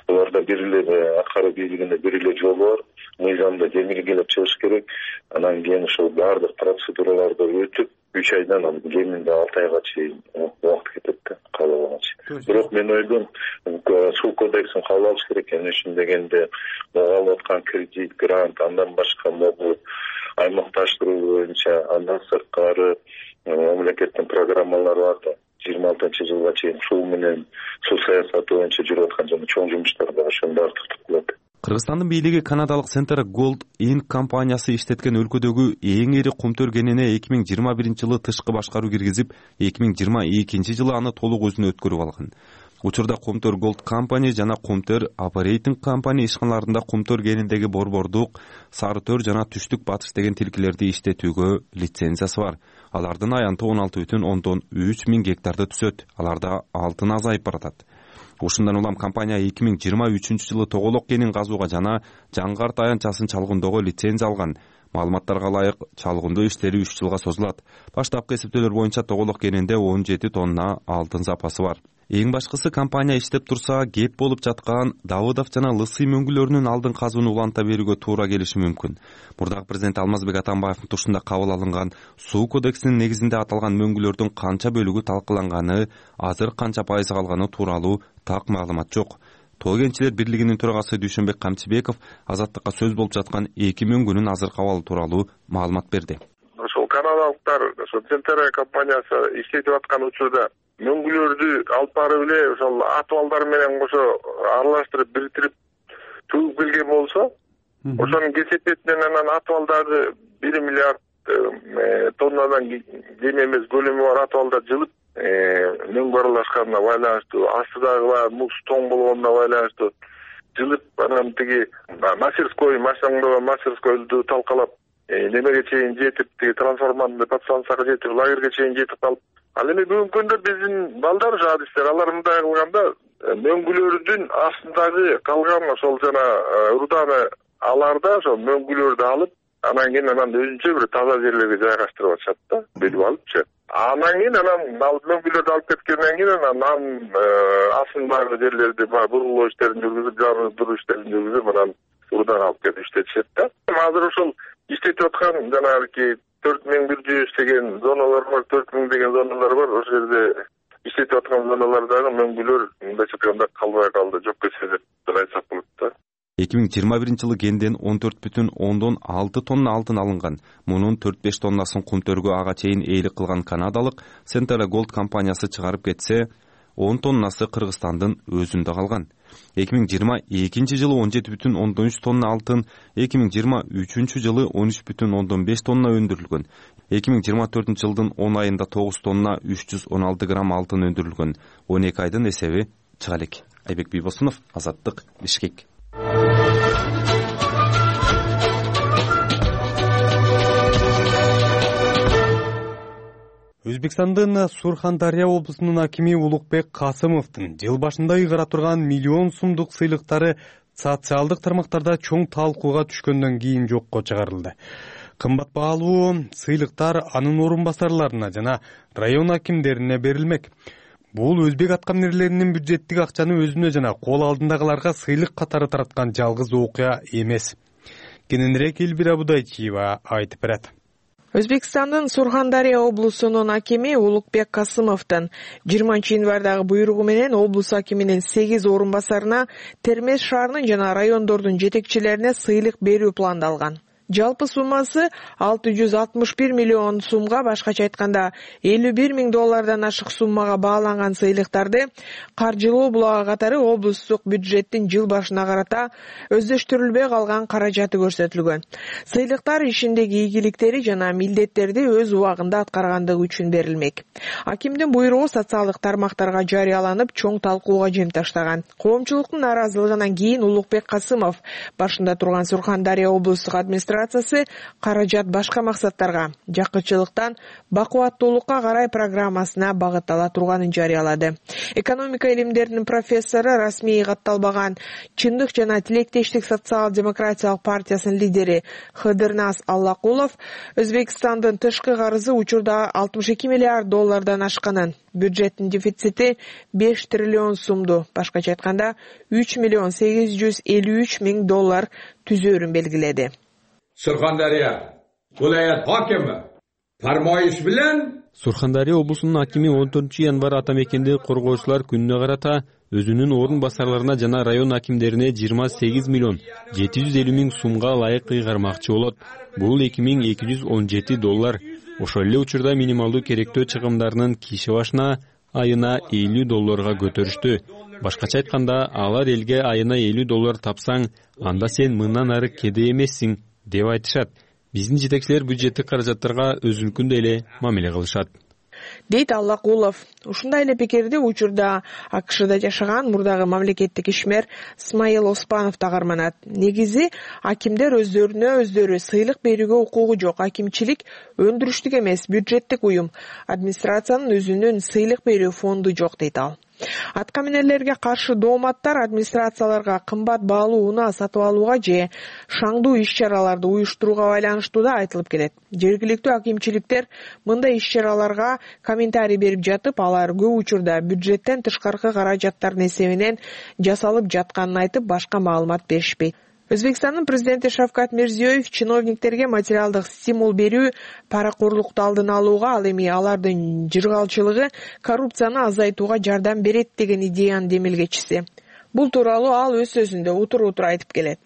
Speaker 2: Буларда бир эле аткаруу бийлигинде бир эле жол бар, мыйзамда демилгелеп чыгыш керек. Анан кийин ошол баардык процедураларды өтүп 3 айдан анан кеминде 6 айга чейин убакыт кетет да, кабыл алганча. Бирок мен ойлойм, суу кодексин кабыл алыш керек. Эмне үчүн дегенде, алып аткан кредит, грант, андан башка могу аймакташтыруу боюнча андан сырткары мамлекеттин программалары бар да. 26-жылга чейин суу менен суу саясаты боюнча жүрүп аткан жана чоң жумуштар бар, ошонун баары токтотулат.
Speaker 9: Кыргызстандын бийлиги канадалык Centera Gold Inc. компаниясы иштеткен өлкөдөгү эң ири кумтөр кенине 2021-жылы тышкы башкаруу киргизип, 2022-жылы аны толук өзүнө өткөрүп алган. Учурда Кумтөр Gold Company жана Кумтөр Operating Company ишканаларында кумтөр кениндеги борбордук, сары төр жана түштүк батыш деген тилкелерди иштетүүгө лицензиясы бар. Алардын аянты 16,3 миң гектарды түзөт. Аларда алтын азайып баратат. Ушундан улам компания 2023-жылы тоголок кенин казууга жана Жаңгарт аянтчасын чалгындоого лицензия алган. Маалыматтарга ылайык, чалгындоо иштери 3 жылга созулат. Баштапкы эсептөөлөр боюнча тоголок кенинде 17 тонна алтын запасы бар. Эң башкысы, компания иштеп турса, кеп болуп жаткан Давыдов жана Лысый мөңгүлөрүнүн алдын казууну уланта берүүгө туура келиши мүмкүн. Мурдагы президент Алмазбек Атамбаевдин тушунда кабыл алынган суу кодексинин негизинде аталган мөңгүлөрдүн канча бөлүгү талкаланганы, азыр канча пайызы калганы тууралуу так маалымат жок. Тоо кенчилер бирлигинин төрагасы Дүйшөнбек Камчыбеков азаттыкка сөз болуп жаткан 2 мөңгүнүн азыркы абалы тууралуу маалымат берди.
Speaker 22: Ошол канадалыктар, ошол Centera компаниясы иштетип аткан учурда мөңгүлөрдү алып барып эле ошол атыбалдар менен кошо аралаштырып бириктирип төгүп келген болсо, ошонун кесепетинен анан атыбалдагы 1 миллиард тоннадан кем эмес көлөмү бар атыбалдар жылып, мөңгү аралашканына байланыштуу, астыдагы муз тоң болгонуна байланыштуу жылып, анан тиги мастерскойду талкалап, немеге чейин жетип, тиги трансформаторный подстанцияга жетип, лагерге чейин жетип калып, ал эми бүгүнкү күндө биздин балдар жадистер, алар мындай кылганда мөңгүлөрдүн астындагы калган ошол жана руданы аларда ошол мөңгүлөрдү алып, анан кийин өзүнчө бир таза жерлерге жайгаштырып атышат да, белип алыпчы. Анан кийин ал мөңгүлөрдү алып кеткенден кийин анан астындагы жерлерди бургулоо иштерин жүргүзүп, жардыруу иштерин жүргүзүп, анан рудан алып кетип иштетишет да. Азыр ошол иштетип аткан жанагы 4100 деген зоналар бар, 4000 деген зоналар бар. Ошол жерде иштетип аткан зоналардагы мөңгүлөр мындайча айтканда калбай калды, жок кетсе деп айтсак болот да.
Speaker 9: 2021-жылы кенден 14,6 тонна алтын алынган. Мунун 4-5 тоннасын кумтөргө ага чейин ээлик кылган канадалык Centera Gold компаниясы чыгарып кетсе, 10 тоннасы Кыргызстандын өзүндө калган. 2022-жылы 17,3 тонна алтын, 2023-жылы 13,5 тонна өндүрүлгөн. 2024-жылдын 10 айында 9 тонна 316 грамм алтын өндүрүлгөн. 12 айдын эсеби чыга элек. Айбек Бийбосунов, Азаттык, Бишкек.
Speaker 1: Өзбекстандын Сурхандария облусунун акими Улукбек Касымовдун жыл башында ыйгара турган миллион сомдук сыйлыктары социалдык тармактарда чоң талкууга түшкөндөн кийин жокко чыгарылды. Кымбат баалуу сыйлыктар анын орун басарларына жана район акимдерине берилмек. Бул өзбек аткаминерлеринин бюджеттик акчаны өзүнө жана кол алдындагыларга сыйлык катары тараткан жалгыз окуя эмес. Кененирээк Элбира Будайчиева айтып берет.
Speaker 23: Өзбекстандын Сурхандария облусунун акими Улукбек Касымовдун 20-январдагы буйругу менен облус акиминин 8 орун басарына Термез шаарынын жана райондордун жетекчилерине сыйлык берүү пландалган. Жалпы суммасы 661 миллион сумга, башкача айтканда $51 миң ашык суммага бааланган сыйлыктарды каржылоо булагы катары облустук бюджеттин жыл башына карата өздөштүрүлбөй калган каражаты көрсөтүлгөн. Сыйлыктар ишиндеги ийгиликтери жана милдеттерди өз убагында аткаргандыгы үчүн берилмек. Акимдин буйругу социалдык тармактарга жарыяланып, чоң талкууга жем таштаган. Коомчулуктун нааразылыгынан кийин Улукбек Касымов башында турган Сурхандария облустук администрация администрациясы каражат башка максаттарга, жакынчылыктан бакубаттуулукка карай программасына багыттала турганын жарыялады. Экономика илимдеринин профессору, расмий катталбаган Чындык жана Тилектештик социал-демократиялык партиясынын лидери Хыдырназ Аллакулов Өзбекстандын тышкы карызы учурда 62 миллиард доллардан ашканын, бюджеттин дефицити 5 триллион сумду, башкача айтканда 3 миллион 853 миң доллар түзөөрүн белгиледи.
Speaker 4: Surxondaryo viloyat hokimi farmoyish bilan
Speaker 19: Сурхандария облусунун акими 14-январь атамекенди коргоочулар күнүнө карата өзүнүн орун басарларына жана район акимдерине 28 миллион 750 миң сумга ылайык ыйгармакчы болот. Бул 2217 доллар. Ошол эле учурда минималдуу керектөө чыгымдарынын киши башына айына 50 долларга көтөрүштү. Башкача айтканда, алар элге айына 50 доллар тапсаң, анда сен мындан ары кедей эмессиң деп айтышат. Биздин жетекчилер бюджеттик каражаттарга өзүнүкүндөй эле мамиле кылышат,
Speaker 23: дейт Аллакулов. Ушундай эле пикирди учурда АКШда жашаган мурдагы мамлекеттик ишмер Смайыл Оспанов да карманат. Негизи акимдер өздөрүнө өздөрү сыйлык берүүгө укугу жок. Акимчилик өндүрүштүк эмес, бюджеттик уюм. Администрациянын өзүнүн сыйлык берүү фонду жок, дейт ал. Аткаминерлерге каршы дооматтар администрацияларга кымбат баалуу унаа сатып алууга же шаңдуу иш-чараларды уюштурууга байланыштуу да айтылып келет. Жергиликтүү акимчиликтер мындай иш-чараларга комментарий берип жатып, алар көп учурда бюджеттен тышкаркы каражаттардын эсебинен жасалып жатканын айтып, башка маалымат беришпейт. Өзбекстандын президенти Шавкат Мирзиёев чиновниктерге материалдык стимул берүү паракорлукту алдын алууга, ал эми алардын жыргалчылыгы коррупцияны азайтууга жардам берет деген идеянын демилгечиси. Бул тууралуу ал өз сөзүндө утур-утур айтып келет.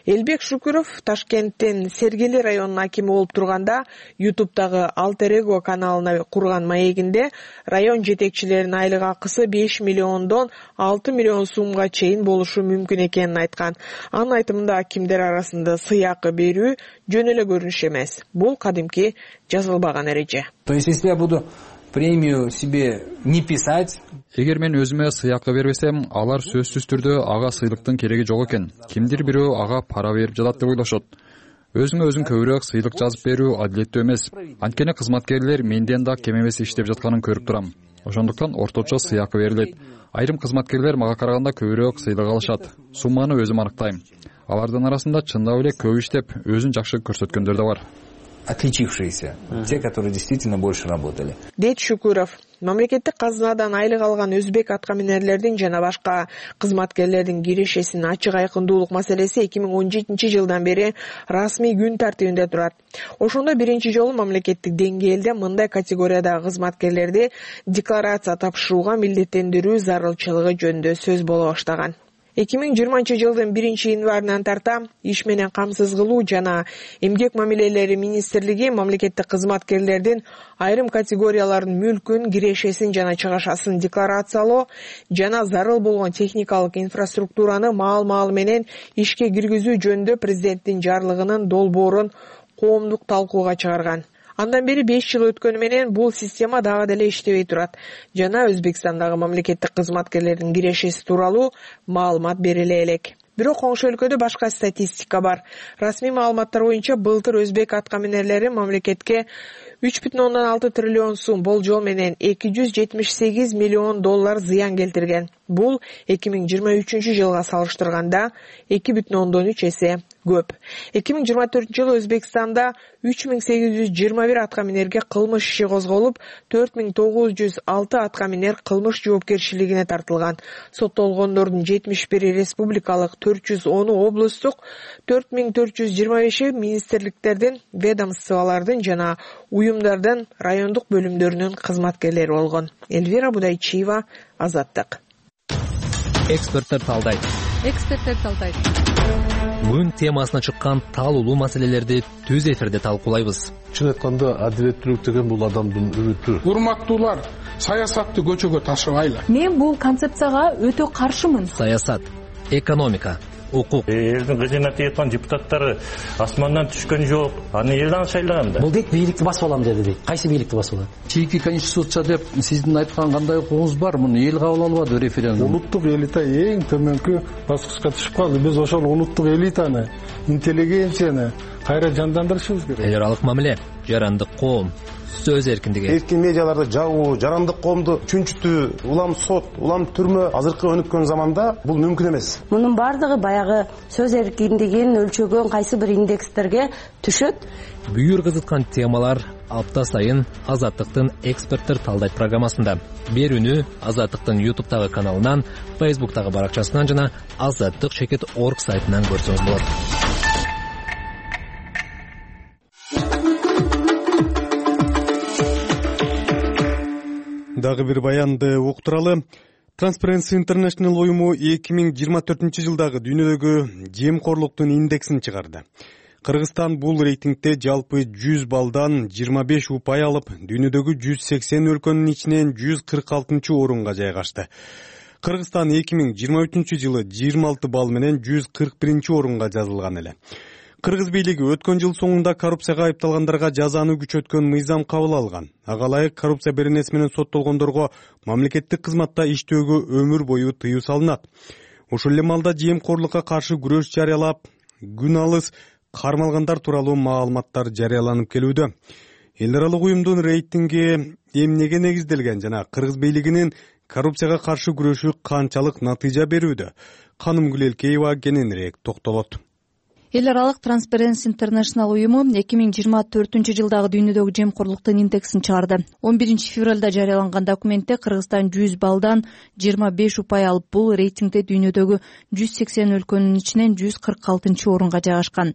Speaker 23: Элбек Шукуров Ташкенттин Сергели районунун акими болуп турганда YouTube'дагы Alter Ego каналына курган маегинде район жетекчилеринин айлык акысы 5 миллиондон 6 миллион сумга чейин болушу мүмкүн экенин айткан. Анын айтымында акимдер арасында сыйакы берүү жөн эле көрүнүш эмес. Бул кадимки жазылбаган эреже.
Speaker 5: То есть, если я буду премию себе не писать.
Speaker 6: Эгер мен өзүмө сыйакы бербесем, алар сөзсүз түрдө ага сыйлыктын кереги жок экен. Кимдир бирөө ага пара берип жатат деп ойлошот. Өзүңө өзүң көбүрөөк сыйлык жазып берүү адилеттүү эмес. Анткени кызматкерлер менден да кем эмес иштеп жатканын көрүп турам. Ошондуктан орточо сыйакы берилет. Айрым кызматкерлер мага караганда көбүрөөк сыйлык алышат. Сумманы өзүм аныктайм. Алардын арасында чындап эле көп иштеп, өзүн жакшы көрсөткөндөр да бар.
Speaker 5: Отличившиеся, те, которые действительно больше работали.
Speaker 23: Дейт Шукуров. Мамлекеттик казынадан айлык алган өзбек аткаминерлердин жана башка кызматкерлердин кирешесинин ачык айкындуулук маселеси 2017 жылдан бери расмий күн тартибинде турат. Ошондо биринчи жолу мамлекеттик деңгээлде мындай категориядагы кызматкерлерди декларация тапшырууга милдеттендирүү зарылчылыгы жөнүндө сөз боло баштаган. 2020 жылдын 1-январынан тарта иш менен камсыз кылуу жана эмгек мамилелери министрлиги мамлекеттик кызматкерлердин айрым категориялардын мүлкүн, кирешесин жана чыгашасын декларациялоо жана зарыл болгон техникалык инфраструктураны маал-маалы менен ишке киргизүү жөнүндө президенттин жарлыгынын долбоорун коомдук талкууга чыгарган. Андан бери 5 жыл өткөнү менен бул система дагы деле иштебей турат. Жана Өзбекстандагы мамлекеттик кызматкерлердин кирешеси тууралуу маалымат бериле элек. Бирок коңшу өлкөдө башка статистика бар. Расмий маалыматтар боюнча былтыр өзбек аткаминерлери мамлекетке 3,6 триллион сум болжол менен 278 миллион доллар зыян келтирген. Бул 2023 жылга салыштырганда 2,3 эсе көп. 2024 жылы Өзбекстанда 3821 аткаминерге кылмыш иши козголуп, 4906 аткаминер кылмыш жоопкерчилигине тартылган. Соттолгондордун 71 республикалык, 410 облустук, 4425 министрликтердин, ведомстволордун жана уюмдардын райондук бөлүмдөрүнүн кызматкерлери болгон. Эльвира Будайчиева, Азаттык.
Speaker 24: Эксперттер талдайт. Бүгүн темасына чыккан таалуулуу маселелерди түз эфирде талкуулайбыз.
Speaker 25: Чын айтканда, адилеттүүлүк деген бул адамдын үмүтү.
Speaker 26: Урматтуулар, саясатты көчөгө ташыбайлы.
Speaker 27: Мен бул концепцияга өтө каршымын.
Speaker 24: Саясат, экономика, укук.
Speaker 3: Элдин кыжына тийип депутаттары асмандан түшкөн жок. Аны элдин шайлаган да.
Speaker 24: Бул дейт бийликти басып алам деди дейт. Кайсы бийликти басып алат? Чийки конституция деп сиздин айткан кандай укугуңуз бар? Муну эл кабыл албады референдум.
Speaker 25: Улуттук элита эң төмөнкү баскычка түшүп калды. Биз ошол улуттук элитаны, интеллигенцияны кайра жандандырышыбыз керек.
Speaker 24: Эл аралык мамиле, жарандык коом, сөз эркиндиги.
Speaker 7: Эркин медиаларды жабуу, жарандык коомду чүнчүтүү, улам сот, улам түрмө азыркы өнүккөн заманда бул мүмкүн эмес.
Speaker 11: Мунун бардыгы баягы сөз эркиндигин өлчөгөн кайсы бир индекстерге түшөт.
Speaker 24: Бүйүр кызыткан темалар апта сайын Азаттыктын эксперттер талдайт программасында. Берүүнү Азаттыктын YouTube'тагы каналынан, Facebook'тагы баракчасынан жана azаттык.org сайтынан көрсөңүз болот.
Speaker 1: Дагы бир баянды уктуралы. Transparency International уюму 2024-жылдагы дүйнөдөгү жемкорлуктун индексин чыгарды. Кыргызстан бул рейтингде жалпы 100 балдан 25 упай алып, дүйнөдөгү 180 өлкөнүн ичинен 146 орунга жайгашты. Кыргызстан 2023-жылы 26 балл менен 141 орунга жазылган эле. Кыргыз бийлиги өткөн жыл соңунда коррупцияга айыпталгандарга жазаны күчөткөн мыйзам кабыл алган. Ага ылайык коррупция беренеси менен соттолгондорго мамлекеттик кызматта иштөөгө өмүр бою тыюу салынат. Ушул эле маалда жемкорлукка каршы күрөш жарыялап, күн алыс кармалгандар тууралуу маалыматтар жарыяланып келүүдө. Эл аралык уюмдун рейтинги эмнеге негизделген жана Кыргыз бийлигинин коррупцияга каршы күрөшү канчалык натыйжа берүүдө? Каным Гүлелкеева кененирээк токтолот.
Speaker 13: Эл аралык Transparency International уюму 2024-жылдагы дүйнөдөгү жемкорлуктун индексин чыгарды. 11 февралда жарыяланган документте Кыргызстан 100 балдан 25 упай алып, бул рейтингде дүйнөдөгү 180 өлкөнүн ичинен 146 орунга жайгашкан.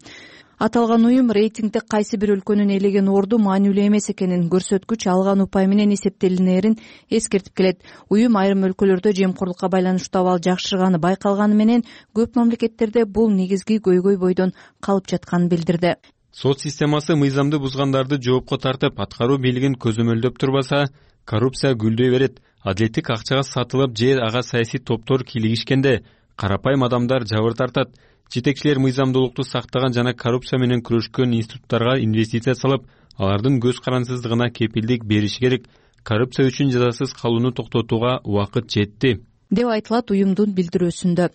Speaker 13: Аталган уюм рейтингде кайсы бир өлкөнүн ээлеген орду маанилүү эмес экенин, көрсөткүч алган упай менен эсептелинерин эскертип келет. Уюм айрым өлкөлөрдө жемкорлукка байланыштуу абал жакшырганы байкалганы менен көп мамлекеттерде бул негизги көйгөй бойдон калып жатканын билдирди.
Speaker 19: Сот системасы мыйзамды бузгандарды жоопко тартып, аткаруу бийлигин көзөмөлдөп турбаса, коррупция гүлдөй берет. Адилеттик акчага сатылып же ага саясий топтор кийлигишкенде карапайым адамдар жабыр тартат. Жетекчилер мыйзамдуулукту сактаган жана коррупция менен күрөшкөн институттарга инвестиция салып, алардын көз карансыздыгына кепилдик бериши керек. Коррупция үчүн жазасыз калууну токтотууга убакыт жетти
Speaker 13: деп айтылат уюмдун билдирүүсүндө.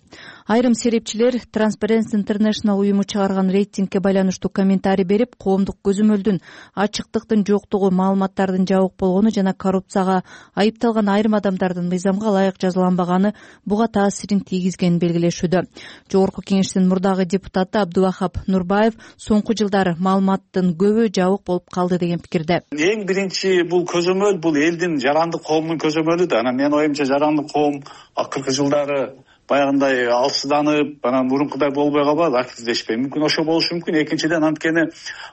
Speaker 13: Айрым серепчилер Transparency International уюму чыгарган рейтингке байланыштуу комментарий берип, коомдук көзөмөлдүн, ачыктыктын жоктугу, маалыматтардын жабык болгону жана коррупцияга айыпталган айрым адамдардын мыйзамга ылайык жазаланбаганы буга таасирин тийгизгенин белгилешүүдө. Жогорку кеңештин мурдагы депутаты Абдувахап Нурбаев соңку жылдары маалыматтын көбү жабык болуп калды деген пикирде.
Speaker 14: Эң биринчи бул көзөмөл бул элдин жарандык коомунун көзөмөлү да. Анан менин оюмча жарандык коом акыркы жылдары баягындай алсызданып, анан мурункудай болбой калбады, активдешпей. Мүмкүн ошо болушу мүмкүн. Экинчиден, анткени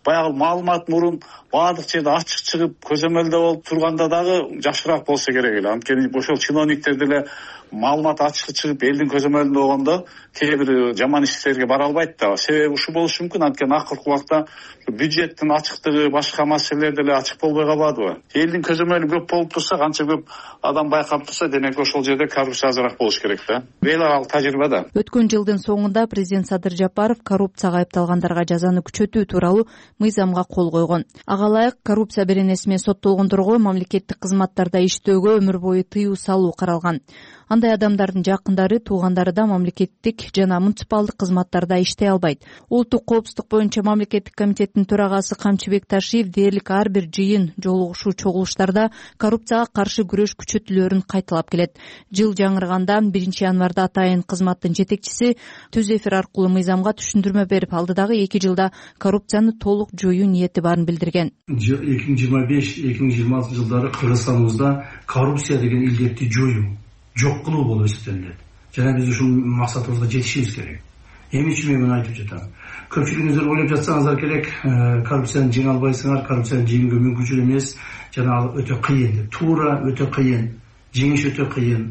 Speaker 14: баягы маалымат мурун баардык жерде ачык чыгып көзөмөлдө болуп турганда дагы жакшыраак болсо керек эле. Анткени ошол чиновниктер деле маалымат ачык чыгып элдин көзөмөлүндө болгондо кээ бир жаман иштерге бара албайт да. Себеби ушул болушу мүмкүн. Анткени акыркы убакта бюджеттин ачыктыгы, башка маселелер деле ачык болбой калбадыбы? Элдин көзөмөлү көп болуп турса, канча көп адам байкап турса, демек ошол жерде коррупция азыраак болуш керек да. Эл аралык тажрыйба да.
Speaker 13: Өткөн жылдын соңунда президент Садыр Жапаров коррупцияга айыпталгандарга жазаны күчөтүү тууралуу мыйзамга кол койгон. Ага ылайык коррупция беренеси менен соттолгондорго мамлекеттик кызматтарда иштөөгө өмүр бою тыюу салуу каралган. Андай адамдардын жакындары, туугандары да мамлекеттик жана муниципалдык кызматтарда иштей албайт. Улуттук коопсуздук боюнча мамлекеттик комитеттин төрагасы Камчыбек Ташиев дээрлик ар бир жыйын, жолугушуу, чогулуштарда коррупцияга каршы күрөш күчөтүлөөрүн кайталап келет. Жыл жаңырганда 1 январда атайын кызматтын жетекчиси түз эфир аркылуу мыйзамга түшүндүрмө берип, алдыдагы 2 жылда коррупцияны толук жоюу ниети барын билдирген.
Speaker 15: 2025-2026 жылдары Кыргызстаныбызда коррупция деген илдетти жоюу, жок кылуу болуп эсептелет. Жана биз ушул максатыбызга жетишибиз керек. Эмне үчүн мен муну айтып жатам? Көпчүлүгүңүздөр ойлоп жатсаңыздар керек, коррупцияны жеңе албайсыңар, коррупцияны жеңүүгө мүмкүнчүлүк эмес, жана ал өтө кыйын деп. Туура өтө кыйын, жеңиш өтө кыйын,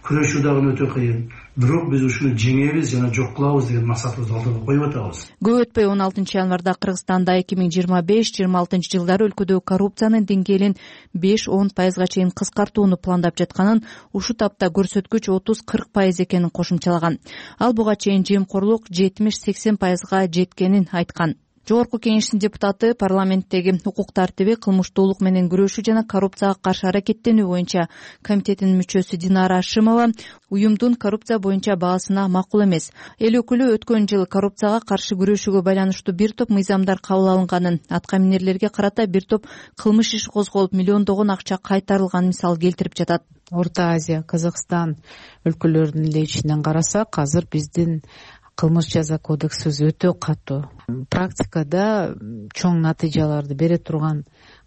Speaker 15: күрөшүү дагы өтө кыйын. бирок биз ушуну жеңебиз жана жок кылабыз деген максатыбызды алдыга коюп атабыз.
Speaker 13: Көп өтпөй 16 январда Кыргызстанда 2025-26 жылдары өлкөдө коррупциянын деңгээлин 5-10% чейин кыскартууну пландап жатканын, ушул тапта көрсөткүч 30-40% экенин кошумчалаган. Ал буга чейин жемкорлук 70-80% жеткенин айткан. Жогорку Кеңештин депутаты парламенттеги укук тартиби, кылмыштуулук менен күрөшүү жана коррупцияга каршы аракеттенүү боюнча комитетинин мүчөсү Динара Ашимова уюмдун коррупция боюнча баасына макул эмес. Эл өкүлү өткөн жылы коррупцияга каршы күрөшүүгө байланыштуу бир топ мыйзамдар кабыл алынганын, атка минерлерге карата бир топ кылмыш иши козголуп, миллиондогон акча кайтарылганын мисал келтирип жатат.
Speaker 8: Орто Азия, Казакстан өлкөлөрүнүн эле ичинен карасак, азыр биздин кылмыш жаза кодексибиз өтө катуу. Практикада чоң натыйжаларды бере турган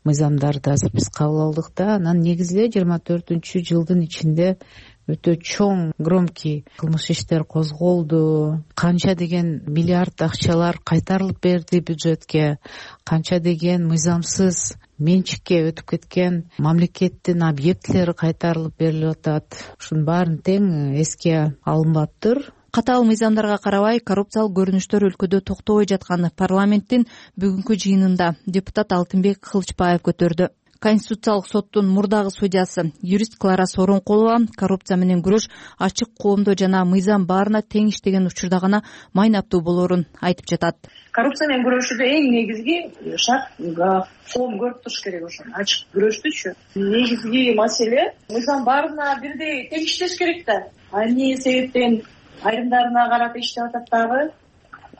Speaker 8: мыйзамдарды азыр биз кабыл алдык да, анан негизде 24-жылдын ичинде өтө чоң громкий кылмыш иштер козголду. Канча деген миллиард акчалар кайтарылып берди бюджетке, канча деген мыйзамсыз менчикке өтүп кеткен мамлекеттин объектилери кайтарылып берилип атат. Ушунун баарын тең эске алынбаптыр.
Speaker 13: Катаал мыйзамдарга карабай, коррупциялык көрүнүштөр өлкөдө токтобой жатканы парламенттин бүгүнкү жыйынында депутат Алтынбек Кылычбаев көтөрдү. Конституциялык соттун мурдагы судьясы юрист Клара Соронкулова коррупция менен күрөш ачык коомдо жана мыйзам баарына тең иштеген учурда гана майнаптуу болоорун айтып жатат.
Speaker 10: Коррупция менен күрөшүүдө эң негизги шарт коом көрүп туруш керек. Ошону ачык күрөштүчү негизги маселе мыйзам баарына бирдей тең иштеш керек да. Эмне себептен айрымдарына карата иштеп атат дагы.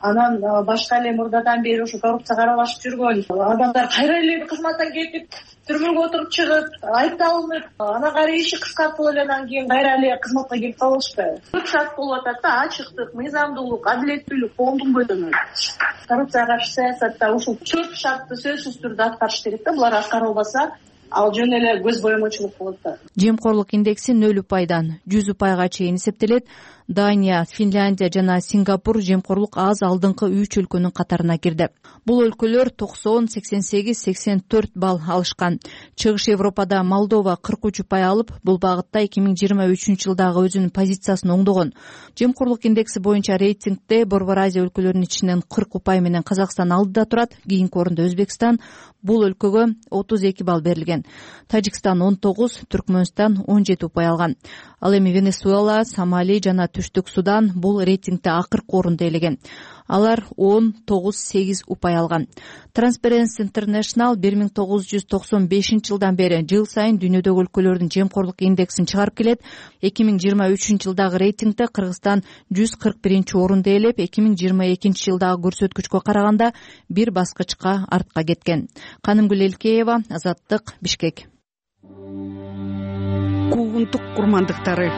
Speaker 10: Анан башка эле мурдадан бери ушу коррупцияга аралашып жүргөн адамдар кайра эле кызматтан кетип, түрмөгө отуруп чыгып, айыпталынып, анан кайра иши кыскартылып эле анан кийин кайра эле кызматка келип калышпайбы. Көп шарт болуп атат да, ачыктык, мыйзамдуулук, адилеттүүлүк коомдун бойдон. Коррупцияга каршы саясатта ушул 4 шартты сөзсүз түрдө аткарыш керек да. Булар аткарылбаса, ал жөн эле көз боемочулук болот да.
Speaker 13: Жемкорлук индекси 0%, 100% чейин эсептелет. Дания, Финляндия жана Сингапур жемкорлук аз алдыңкы 3 өлкөнүн катарына кирди. Бул өлкөлөр 90, 88, 84 балл алышкан. Чыгыш Европада Молдова 43% алып, бул багытта 2023 жылдагы өзүнүн позициясын оңдогон. Жемкорлук индекси боюнча рейтингде Борбор Азия өлкөлөрүнүн ичинен 40% менен Казакстан алдыда турат. Кийинки орунда Өзбекстан. Бул өлкөгө 32 балл берилген. Тажикстан 19, Түркмөнстан 17% алган. Ал эми Венесуэла, Сомали жана Түштүк Судан бул рейтингде акыркы орунду ээлеген. Алар 10-9-8% алган. Transparency International 1995 жылдан бери жыл сайын дүйнөдөгү өлкөлөрдүн жемкорлук индексин чыгарып келет. 2023 жылдагы рейтингде Кыргызстан 141 орунду ээлеп, 2022 жылдагы көрсөткүчкө караганда бир баскычка артка кеткен. Канымгүл Элкеева, Азаттык, Бишкек.
Speaker 12: Куугунтук курмандыктары.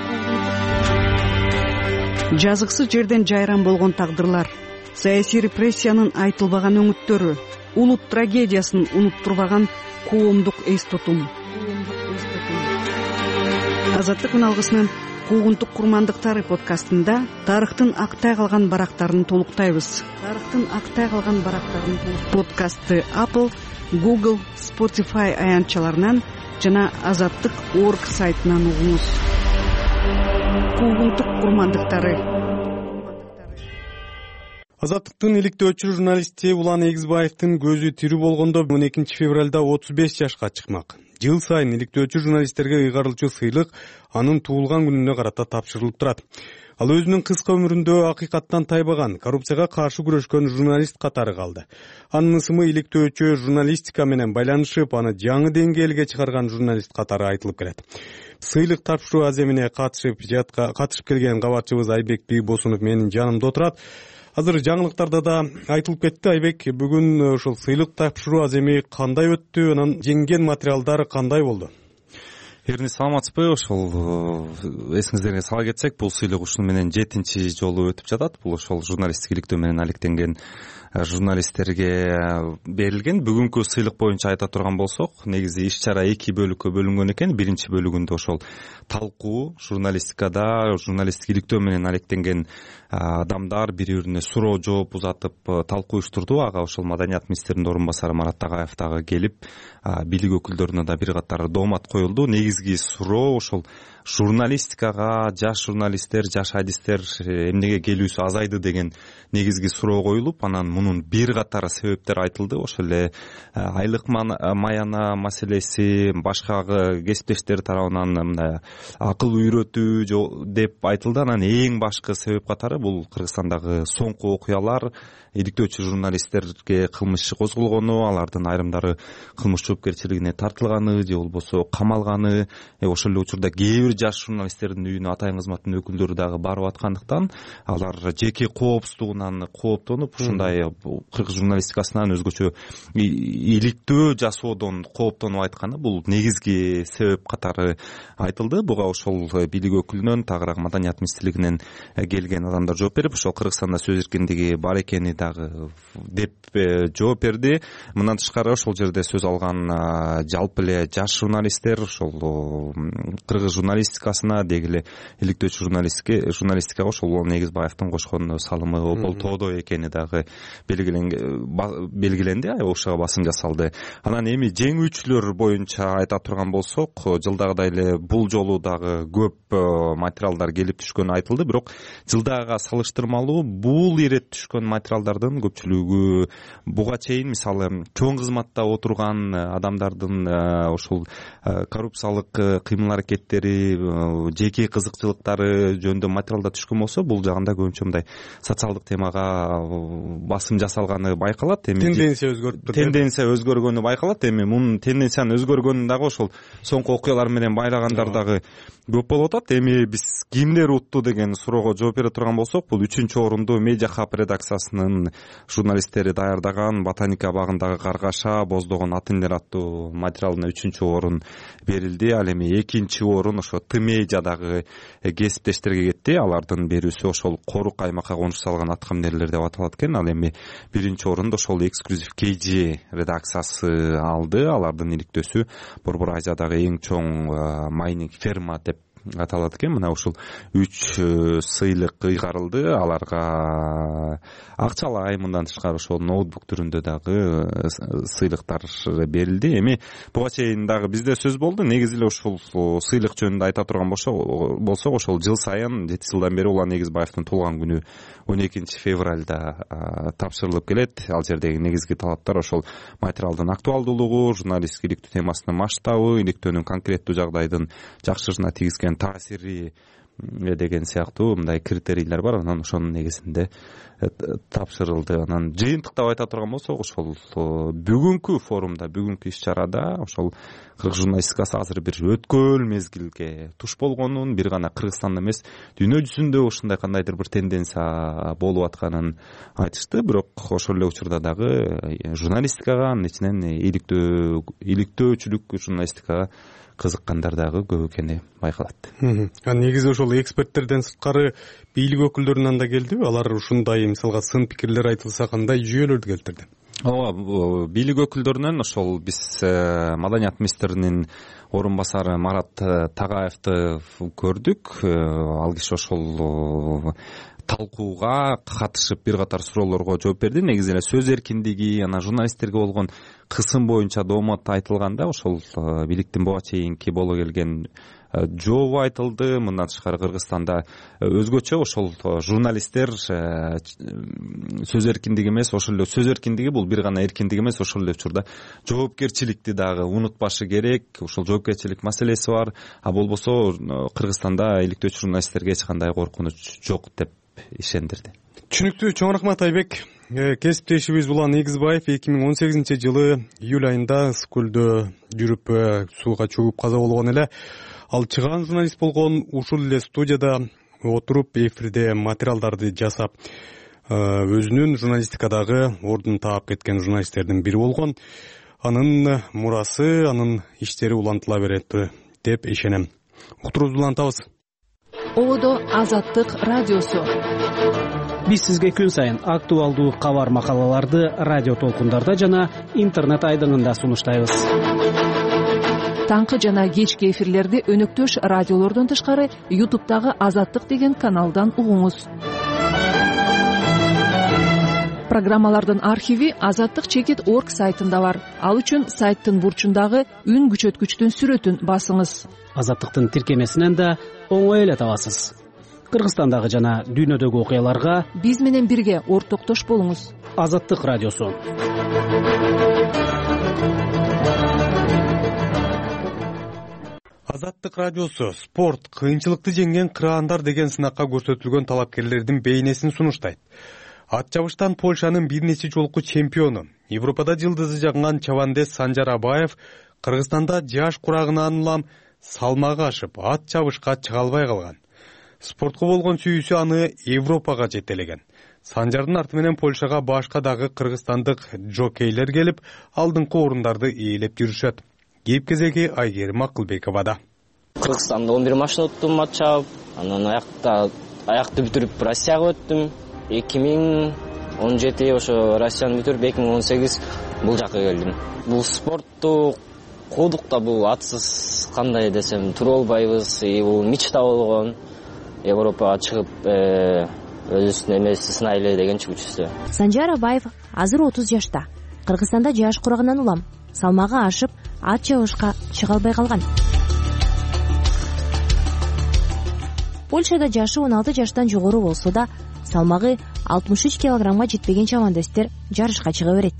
Speaker 12: Жазыксыз жерден жайран болгон тагдырлар, саясий репрессиянын айтылбаган өңүттөрү, улут трагедиясын унуттурбаган коомдук эс тутум. Азаттык үналгысынын Куугунтук курмандыктары подкастында тарыхтын актай калган барактарын толуктайбыз. Подкастты Apple, Google, Spotify аянтчаларынан жана Азаттык.org сайтынан угуңуз. Куугунтук курмандыктары.
Speaker 1: Азаттыктын иликтөөчү журналисти Улан Эгизбаевдин көзү тирүү болгондо 12 февралда 35 жашка чыкмак. Жыл сайын иликтөөчү журналисттерге ыйгарылчу сыйлык анын туулган күнүнө карата тапшырылып турат. Ал өзүнүн кыска өмүрүндө акыйкаттан тайбаган, коррупцияга каршы күрөшкөн журналист катары калды. Анын ысымы иликтөөчү журналистика менен байланышып, аны жаңы деңгээлге чыгарган журналист катары айтылып келет. Сыйлык тапшыруу аземине катышып келген кабарчыбыз Айбек Бийбосунов менин жанымда отурат. Азыр жаңылыктарда да айтылып кетти. Айбек, бүгүн ушул сыйлык тапшыруу аземи кандай өттү? Анан жеңген материалдар кандай болду?
Speaker 9: Эрни, саламатсызбы? Ошол эсиңиздерге сала кетсек, бул сыйлык ушуну менен 7-чи жолу өтүп жатат. Бул ошол журналисттик иликтөө менен алектенген журналисттерге берилген. Бүгүнкү сыйлык боюнча айта турган болсок, негизи иш-чара 2 бөлүккө бөлүнгөн экен. Биринчи бөлүгүндө ошол талкуу, журналистикада журналисттик иликтөө менен алектенген адамдар бири-бирине суроо жооп узатып талкуу уюштурду. Ага ошол Маданият министринин орун басары Марат Тагаев дагы келип, бийлик өкүлдөрүнө да бир катар доомат коюлду. Негизги суроо ошол журналистикага жаш журналисттер, жаш адистер эмнеге келүүсү азайды деген негизги суроо коюлуп, анан мунун бир катар себептери айтылды. Ошол эле айлык маяна маселеси, башка кесиптештер тарабынан мындай акыл үйрөтүү деп айтылды. Анан эң башкы себеп катары бул Кыргызстандагы соңку окуялар, иликтөөчү журналисттерге кылмыш иши козголгону, алардын айрымдары кылмыш жоопкерчилигине тартылганы же болбосо камалганы, ошол эле учурда кээ бир жаш журналисттердин үйүнө атайын кызматтын өкүлдөрү дагы барып аткандыктан алар жеке коопсуздугунан кооптонуп, ушундай кыргыз журналистикасынан өзгөчө иликтөө жасоодон кооптонуп айтканы бул негизги себеп катары айтылды. Буга ошол бийлик өкүлүнөн, тагыраак маданият министрлигинен келген адамдар жооп берип, ошол Кыргызстанда сөз эркиндиги бар экени дагы деп жооп берди. Мындан тышкары ошол жерде сөз алган жалпы эле жаш журналисттер ошол кыргыз журналистикасына, деги эле иликтөөчү журналистикага ошол Негизбаевдин кошкон салымы болтоодо экени дагы белгиленди, ошого басым жасалды. Анан эми жеңүүчүлөр боюнча айта турган болсок, жылдагыдай эле бул жолу дагы көп материалдар келип түшкөнү айтылды, бирок жылдагыга салыштырмалуу бул ирет түшкөн материалдардын көпчүлүгү буга чейин мисалы чоң кызматта отурган адамдардын ошол коррупциялык кыймыл аракеттери, жеке кызыкчылыктары жөнүндө материалдар түшкөн болсо, бул жагында көбүнчө мындай социалдык темага басым жасалганы байкалат. Эми тенденция өзгөргөнү байкалат. Эми мунун тенденциянын өзгөргөнүн дагы ошол соңку окуялар менен байлагандар дагы көп болуп атат. Эми биз кимдер утту деген суроого жооп бере турган болсок, бул 3-орунду Медиа Хаб редакциясынын журналисттери даярдаган Ботаника багындагы каргаша боздогон атын элер аттуу материалына 3-орун берилди. Ал эми 2-орун ошо Тмедиадагы кесиптештерге кетти. Алардын берүүсү ошол Корук аймакка конуш салган аткаминерлер деп аталат экен. Ал эми 1-орунду ошол Эксклюзив KG редакциясы алды. Алардын иликтөөсү Борбор Азиядагы эң чоң майнинг ферма деп аталат экен. Мына ушул 3 сыйлык ыйгарылды. Аларга акчалай, мындан тышкары ошол ноутбук түрүндө дагы сыйлыктар берилди. Эми буга чейин дагы бизде сөз болду. Негизи эле ушул сыйлык жөнүндө айта турган болсок, ошол жыл сайын 7 жылдан бери Улан Негизбаевдин туулган күнү 12 февралда тапшырылып келет. Ал жердеги негизги талаптар ошол материалдын актуалдуулугу, журналисттик иликтөө темасынын масштабы, иликтөөнүн конкреттүү жагдайдын жакшырышына тийгизген таасири деген сыяктуу мындай критерийлер бар. Анан ошонун негизинде тапшырылды. Анан жыйынтыктап айта турган болсок, ошол бүгүнкү форумда, бүгүнкү иш-чарада ошол кыргыз журналистикасы азыр бир өткөл мезгилге туш болгонун, бир гана Кыргызстанда эмес, дүйнө жүзүндө ушундай кандайдыр бир тенденция болуп атканын айтышты. Бирок ошол эле учурда дагы журналистикага, анын ичинен иликтөөчүлүк журналистикага кызыккандар дагы көп экени байкалат.
Speaker 1: Негизи ошол эксперттерден сырткары бийлик өкүлдөрүнөн да келдиби? Алар ушундай мисалга сын пикирлер айтылса кандай жүйөлөрдү келтирди?
Speaker 9: Ооба, бийлик өкүлдөрүнөн ошол биз маданият министринин орун басары Марат Тагаевди көрдүк. Ал киши ошол талкууга катышып бир катар суроолорго жооп берди. Негизи эле сөз эркиндиги, анан журналисттерге болгон кысым боюнча доомат айтылганда ошол бийликтин буга чейинки боло келген жообу айтылды. Мындан тышкары Кыргызстанда өзгөчө ошол журналисттер сөз эркиндиги эмес, ошол эле сөз эркиндиги бул бир гана эркиндик эмес, ошол эле учурда жоопкерчиликти дагы унутпашы керек. Ошол жоопкерчилик маселеси бар. А болбосо Кыргызстанда иликтөөчү журналисттерге эч кандай коркунуч жок деп ишендирди.
Speaker 1: Түшүнүктүү. Чоң рахмат Айбек. Кесиптешибиз Улан Негизбаев 2018-жылы июль айында Скөлдө жүрүп сууга чөгүп каза болгон эле. Ал чыгаан журналист болгон. Ушул эле студияда отуруп эфирде материалдарды жасап, өзүнүн журналистикадагы ордун таап кеткен журналисттердин бири болгон. Анын мурасы, анын иштери улантыла берет деп ишенем. Уктуруубузду улантабыз.
Speaker 2: Одо Азаттык радиосу.
Speaker 16: Биз сизге күн сайын актуалдуу кабар макалаларды радио толкундарда жана интернет айдыңында сунуштайбыз.
Speaker 2: Таңкы жана кечки эфирлерди өнөктөш радиолордон тышкары YouTube'дагы Азаттык деген каналдан угуңуз. Программалардын архиви azattik.org сайтында бар. Ал үчүн сайттын бурчундагы үн күчөткүчтүн сүрөтүн басыңыз.
Speaker 16: Азаттыктын тиркемесинен да оңой эле табасыз. Кыргызстандагы жана дүйнөдөгү окуяларга
Speaker 2: биз менен бирге ортоктош болуңуз.
Speaker 16: Азаттык радиосу.
Speaker 1: Азаттык радиосу спорт, кыйынчылыкты жеңген кыраандар деген сынакка көрсөтүлгөн талапкерлердин бейнесин сунуштайт. Ат чабыштан Польшанын бир нече жолку чемпиону, Европада жылдызы жагган чабандес Санжар Абаев Кыргызстанда жаш курагынан улам салмагы ашып, ат чабышка чыга албай калган. Спортко болгон сүйүүсү аны Европага жетелеген. Санжардын арты менен Польшага башка дагы кыргызстандык жокейлер келип, алдыңкы орундарды ээлеп жүрүшөт. Кеп кезеги Айгерим Акылбековада.
Speaker 4: Кыргызстанда 11 машина уттум, ат чабып, анан аякты бүтүрүп Россияга өттүм. 2017 ошо Россияны бүтүрүп 2018 бул жака келдим. Бул спортту куудук да, бул атсыз кандай десем тура албайбыз. Бул мечта болгон. Европага чыгып өзүбүздүн эмебизди сынайлы деген чүгүчүсү.
Speaker 17: Санжар Абаев азыр 30 жашта. Кыргызстанда жаш курагынан улам, салмагы ашып, ат чабышка чыга албай калган. Польшада жашы 16 жаштан жогору болсо да, салмагы 63 килограммга жетпеген чабандестер жарышка чыга берет.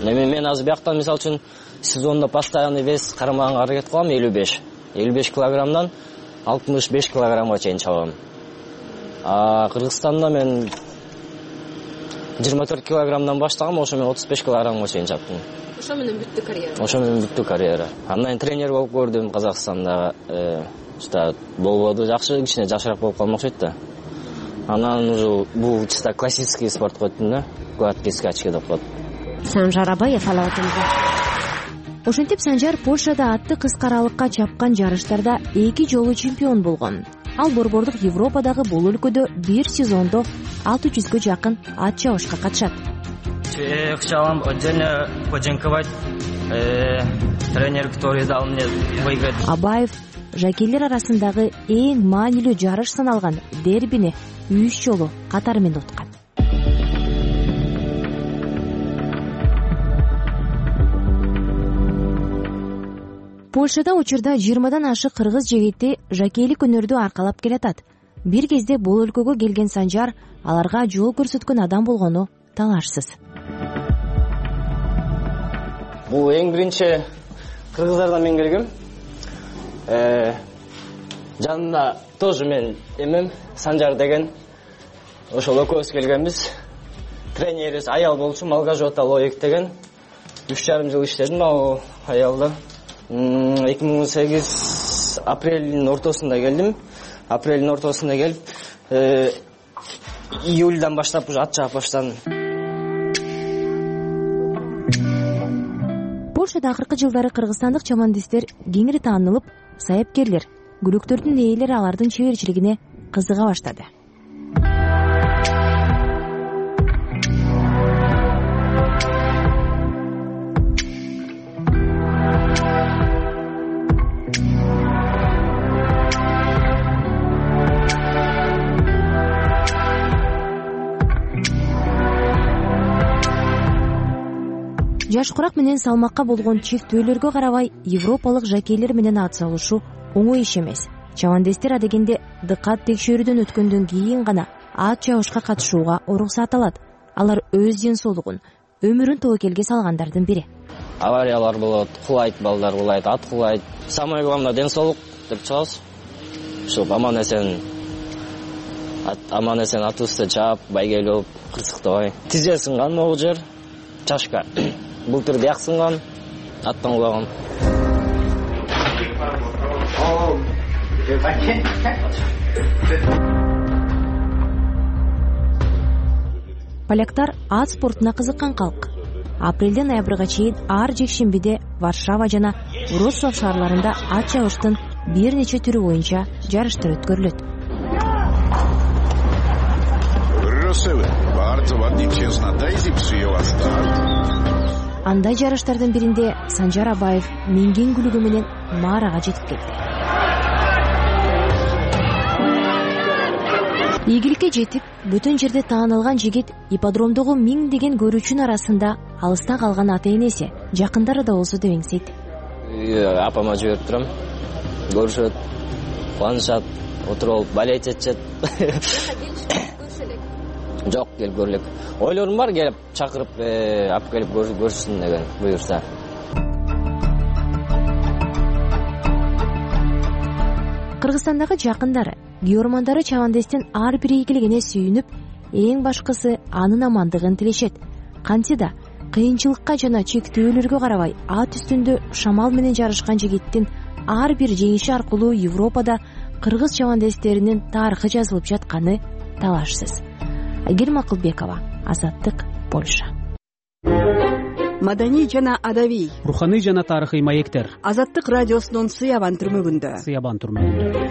Speaker 4: Мен азыр бияктан мисалы үчүн сезондо постоянный вес карамаганга аракет кылам, 55 килограммдан 65 килограммга чейин чабам. Кыргызстанда мен 24 килограммдан баштагам, ошо мен 35 килограммга чейин чаптым.
Speaker 17: Ошо менен бүттү
Speaker 4: карьера. Андан тренер болуп көрдүм Казакстанда. Болбоду, жакшы, кичине жашыраак болуп калмакчы да. Анан уже бул чисто классический спортко өттүм да. Гладкий скачки деп коет.
Speaker 17: Санжар Абаев алабатында. Ошентип Санжар Польшада атты кыска аралыкка чапкан жарыштарда 2 жолу чемпион болгон. Ал борбордук Европадагы бул өлкөдө бир сезондо 600гө жакын ат чабышка катышат.
Speaker 4: Chciałam отдельно подяковать тренеру, который дал мне выиграть.
Speaker 17: Абаев жакейлер арасындагы эң маанилүү жарыш саналган дербини 3 жолу катары менен уткан. Польшада учурда 20дан ашык кыргыз жигити жакейлик өнөрдү аркалап келатат. Бир кезде бул өлкөгө келген Санжар аларга жол көрсөткөн адам болгону талашсыз.
Speaker 4: Бул эң биринчи кыргыздардан мен келгем. Жанында тоже мен эмем Санжар деген ошол экөөбүз келгенбиз. Тренерибиз аял болчу, Малгажота Лоек деген. 3,5 жыл иштедим ал аялда. 2018 апрелдин ортосунда келдим. Апрелдин ортосунда келип, июльдан баштап уже ат чаап баштадым.
Speaker 17: Польшада акыркы жылдары кыргызстандык чабандестер кеңири таанылып, саяпкерлер, күлөктөрдүн ээлери алардын чеберчилигине кызыга баштады. Жаш курак менен салмакка болгон чектөөлөргө карабай, европалык жакейлер менен ат салышу оңой иш эмес. Чабандестер адегенде дыкат текшерүүдөн өткөндөн кийин гана ат чабышка катышууга уруксат алат. Алар өз ден соолугун, өмүрүн тобокелге салгандардын бири.
Speaker 4: Авариялар болот, кулайт, балдар кулайт, ат кулайт. Самое главное ден соолук деп чыгабыз. Ошо аман эсен атыбызды чаап, байгелеп, кырсыктабай. Тизе сынган могу жер, чашка. Былтыр бияк сынган, аттан кулаган.
Speaker 17: Поляктар ат спортуна кызыккан калк. Апрелден ноябрга чейин ар жекшембиде Варшава жана Вроцлав шаарларында ат чабыштын бир нече түрү боюнча жарыштар өткөрүлөт. Андай жарыштардын биринде Санжар Абаев минген күлүгү менен Марага жетип келди. ийгиликке жетип бүтүн жерде таанылган жигит ипподромдогу миңдеген көрүүчүнүн арасында алыста калган ата энеси жакындары да болсо деп эңсейт.
Speaker 4: Апама жиберип турам, көрүшөт, кубанышат, отуруп алып балет этишет. Жок, келип көрө элек. Ойлорум бар, келип чакырып, алып келип көрүшсүн деген буюрса.
Speaker 17: Кыргызстандагы жакындары, күйөрмандары Чавандестин ар бир ийгилигине сүйүнүп, эң башкысы анын амандыгын тилешет. Кантсе да кыйынчылыкка жана чектөөлөргө карабай ат үстүндө шамал менен жарышкан жигиттин ар бир жеңиши аркылуу Европада кыргыз чавандестеринин тарыхы жазылып жатканы талашсыз. Айгерим Акылбекова, Азаттык, Польша.
Speaker 12: Маданий жана адабий,
Speaker 16: руханий жана тарыхый маектер.
Speaker 12: Азаттык радиосунун Сыябан түрмөгүндө.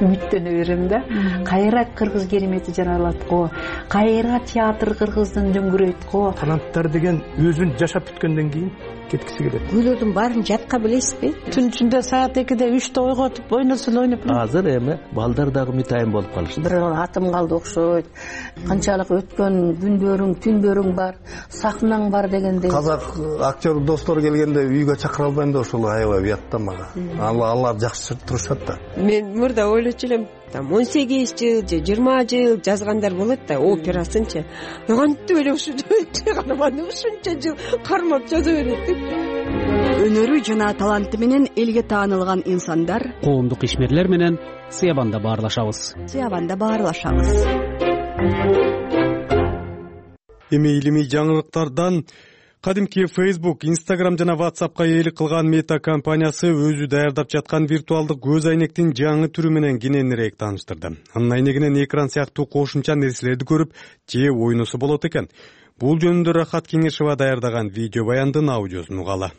Speaker 8: Үмүттөнө берем да. Кайра кыргыз керемети жаралат го, кайра театр кыргыздын дөңгүрөйт го.
Speaker 15: Таланттар деген өзүн жашап бүткөндөн кийин кеткиси келет.
Speaker 11: Күйлөрдүн баарын жатка билесизби?
Speaker 8: Түн ичинде саат 2-де 3-те ойготуп ойносун ойноп.
Speaker 5: Азыр эми балдар дагы митайын болуп калышты.
Speaker 11: Бир атым калды окшойт. Канчалык өткөн күндөрүң, түндөрүң бар, сахнаң бар дегенде.
Speaker 5: Казак актер достор келгенде үйгө чакыра албайм да ошол аябай уятта мага. Алар жакшы турушат да.
Speaker 6: Мен мурда ойлочу элем, 18 жыл же 20 жыл жазгандар болот да, операсынчы. Кантип эле ушунча жыл кармап жаза берет деп.
Speaker 12: Өнөрү жана таланты менен элге таанылган инсандар,
Speaker 16: коомдук ишмерлер менен Сыябанда баарлашабыз. Эми илимий жаңылыктардан кадимки Facebook, Instagram жана WhatsAppка ээлик кылган Мета компаниясы өзү даярдап жаткан виртуалдык көз айнектин жаңы түрү менен кененирээк тааныштырды. Анын айнегинен экран сыяктуу кошумча нерселерди көрүп, же ойносо болот экен. Бул жөнүндө Рахат Кеңешева даярдаган видео баяндын аудиосун угалы.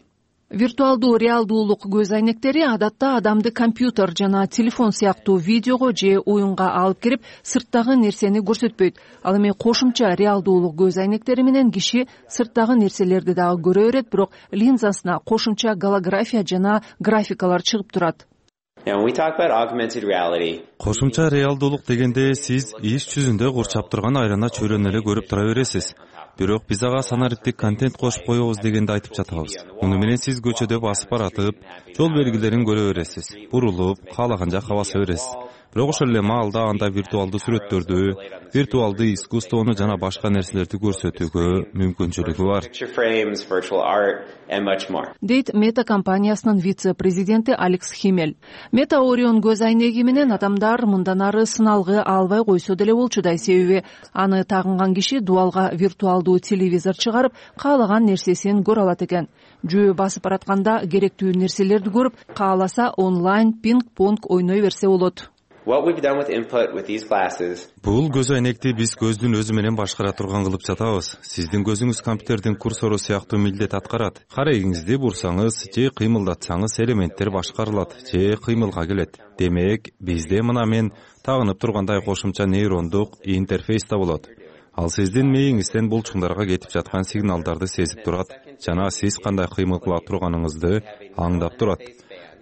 Speaker 16: Виртуалдуу реалдуулук көз айнектери адатта адамды компьютер жана телефон сыяктуу видеого же оюнга алып кирип, сырттагы нерсени көрсөтпөйт. Ал эми кошумча реалдуулук көз айнектери менен киши сырттагы нерселерди дагы көрө берет, бирок линзасына кошумча голография жана графикалар чыгып турат.
Speaker 9: Кошумча реалдуулук дегенде сиз иш жүзүндө курчап турган айлана чөйрөнү эле көрүп тура бересиз. Бирок биз ага санариптик контент кошуп коебуз дегенди айтып жатабыз. Муну менен сиз көчөдө басып баратып, жол белгилерин көрө бересиз. Бурулуп, каалаган жакка баса бересиз. Бирок ошол эле маалда анда виртуалдуу сүрөттөрдү, виртуалдуу искусствону жана башка нерселерди көрсөтүүгө мүмкүнчүлүгү бар.
Speaker 2: Дейт Мета компаниясынын вице-президенти Алекс Химель. Мета Орион көз айнеги менен адамдар мындан ары сыналгы албай койсо деле болчудай, себеби аны тагынган киши дуалга виртуалдуу телевизор чыгарып, каалаган нерсесин көрө алат экен. Жөө басып баратканда керектүү нерселерди көрүп, кааласа онлайн пинг-понг ойной берсе болот.
Speaker 9: Бул көз айнекти биз көздүн өзү менен башкара турган кылып жатабыз. Сиздин көзүңүз компьютердин курсору сыяктуу милдет аткарат. Карегиңизди бурсаңыз же кыймылдатсаңыз элементтер башкарылат же кыймылга келет. Демек, бизде мына мен тагынып тургандай кошумча нейрондук интерфейс да болот. Ал сиздин мээңизден булчуңдарга кетип жаткан сигналдарды сезип турат жана сиз кандай кыймыл кыла турганыңызды аңдап турат.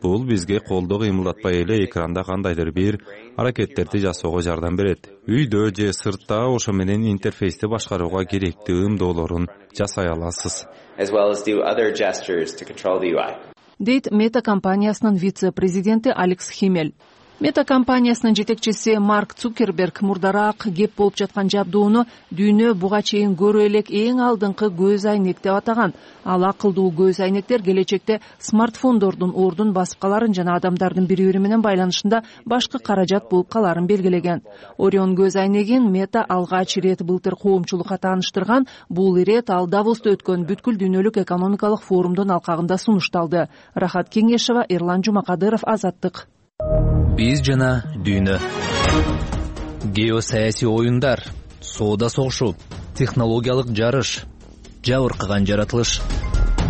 Speaker 9: Бул бизге колду кыймылдатпай эле экранда кандайдыр бир аракеттерди жасоого жардам берет. Үйдө же сыртта ошо менен интерфейсти башкарууга керектүү ымдоолорун жасай аласыз.
Speaker 2: Дейт Мета компаниясынын вице-президенти Алекс Химель. Мета компаниясынын жетекчиси Марк Цукерберг мурдараак кеп болуп жаткан жабдууну дүйнө буга чейин көрө элек эң алдыңкы көз айнек деп атаган. Ал акылдуу көз айнектер келечекте смартфондордун ордун басып каларын жана адамдардын бири-бири менен байланышында башкы каражат болуп каларын белгилеген. Орион көз айнегин Мета алгач ирет былтыр коомчулукка тааныштырган. Бул ирет ал Давоста өткөн бүткүл дүйнөлүк экономикалык форумдун алкагында сунушталды. Рахат Кеңешева, Эрлан Жумакадыров, Азаттык.
Speaker 24: Биз жана дүйнө. Геосаясий оюндар, соода согушу, технологиялык жарыш, жабыркаган жаратылыш.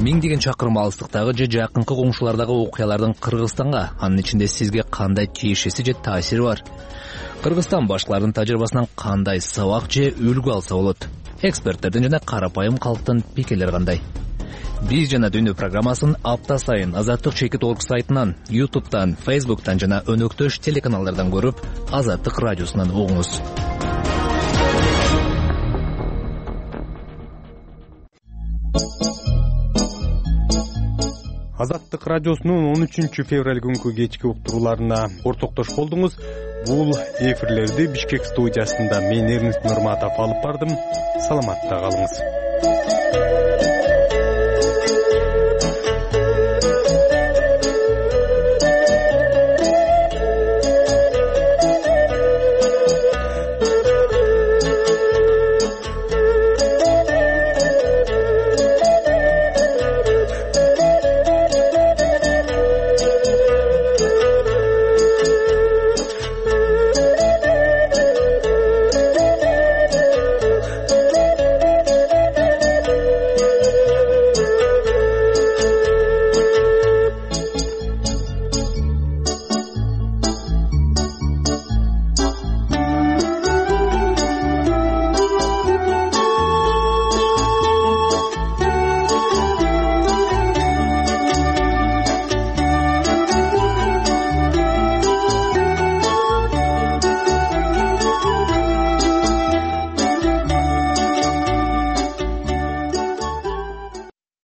Speaker 24: Миңдеген чакырым алыстыктагы же жакынкы коңшулардагы окуялардын Кыргызстанга, анын ичинде сизге кандай тиешеси же таасири бар? Кыргызстан башкалардын тажрыйбасынан кандай сабак же үлгү алса болот? Эксперттердин жана карапайым калктын пикирлери кандай? Биз жана дүйнө программасын апта сайын Азаттык.org сайтынан, YouTube'дан, Facebook'тан жана өнөктөш телеканалдардан көрүп, Азаттык радиосунан угуңуз.
Speaker 16: Азаттык радиосунун 13 февраль күнкү кечки уктурууларына ортоктош болдуңуз. Бул эфирлерди Бишкек студиясында мен Эрнест Нурматов алып бардым. Саламатта калыңыз.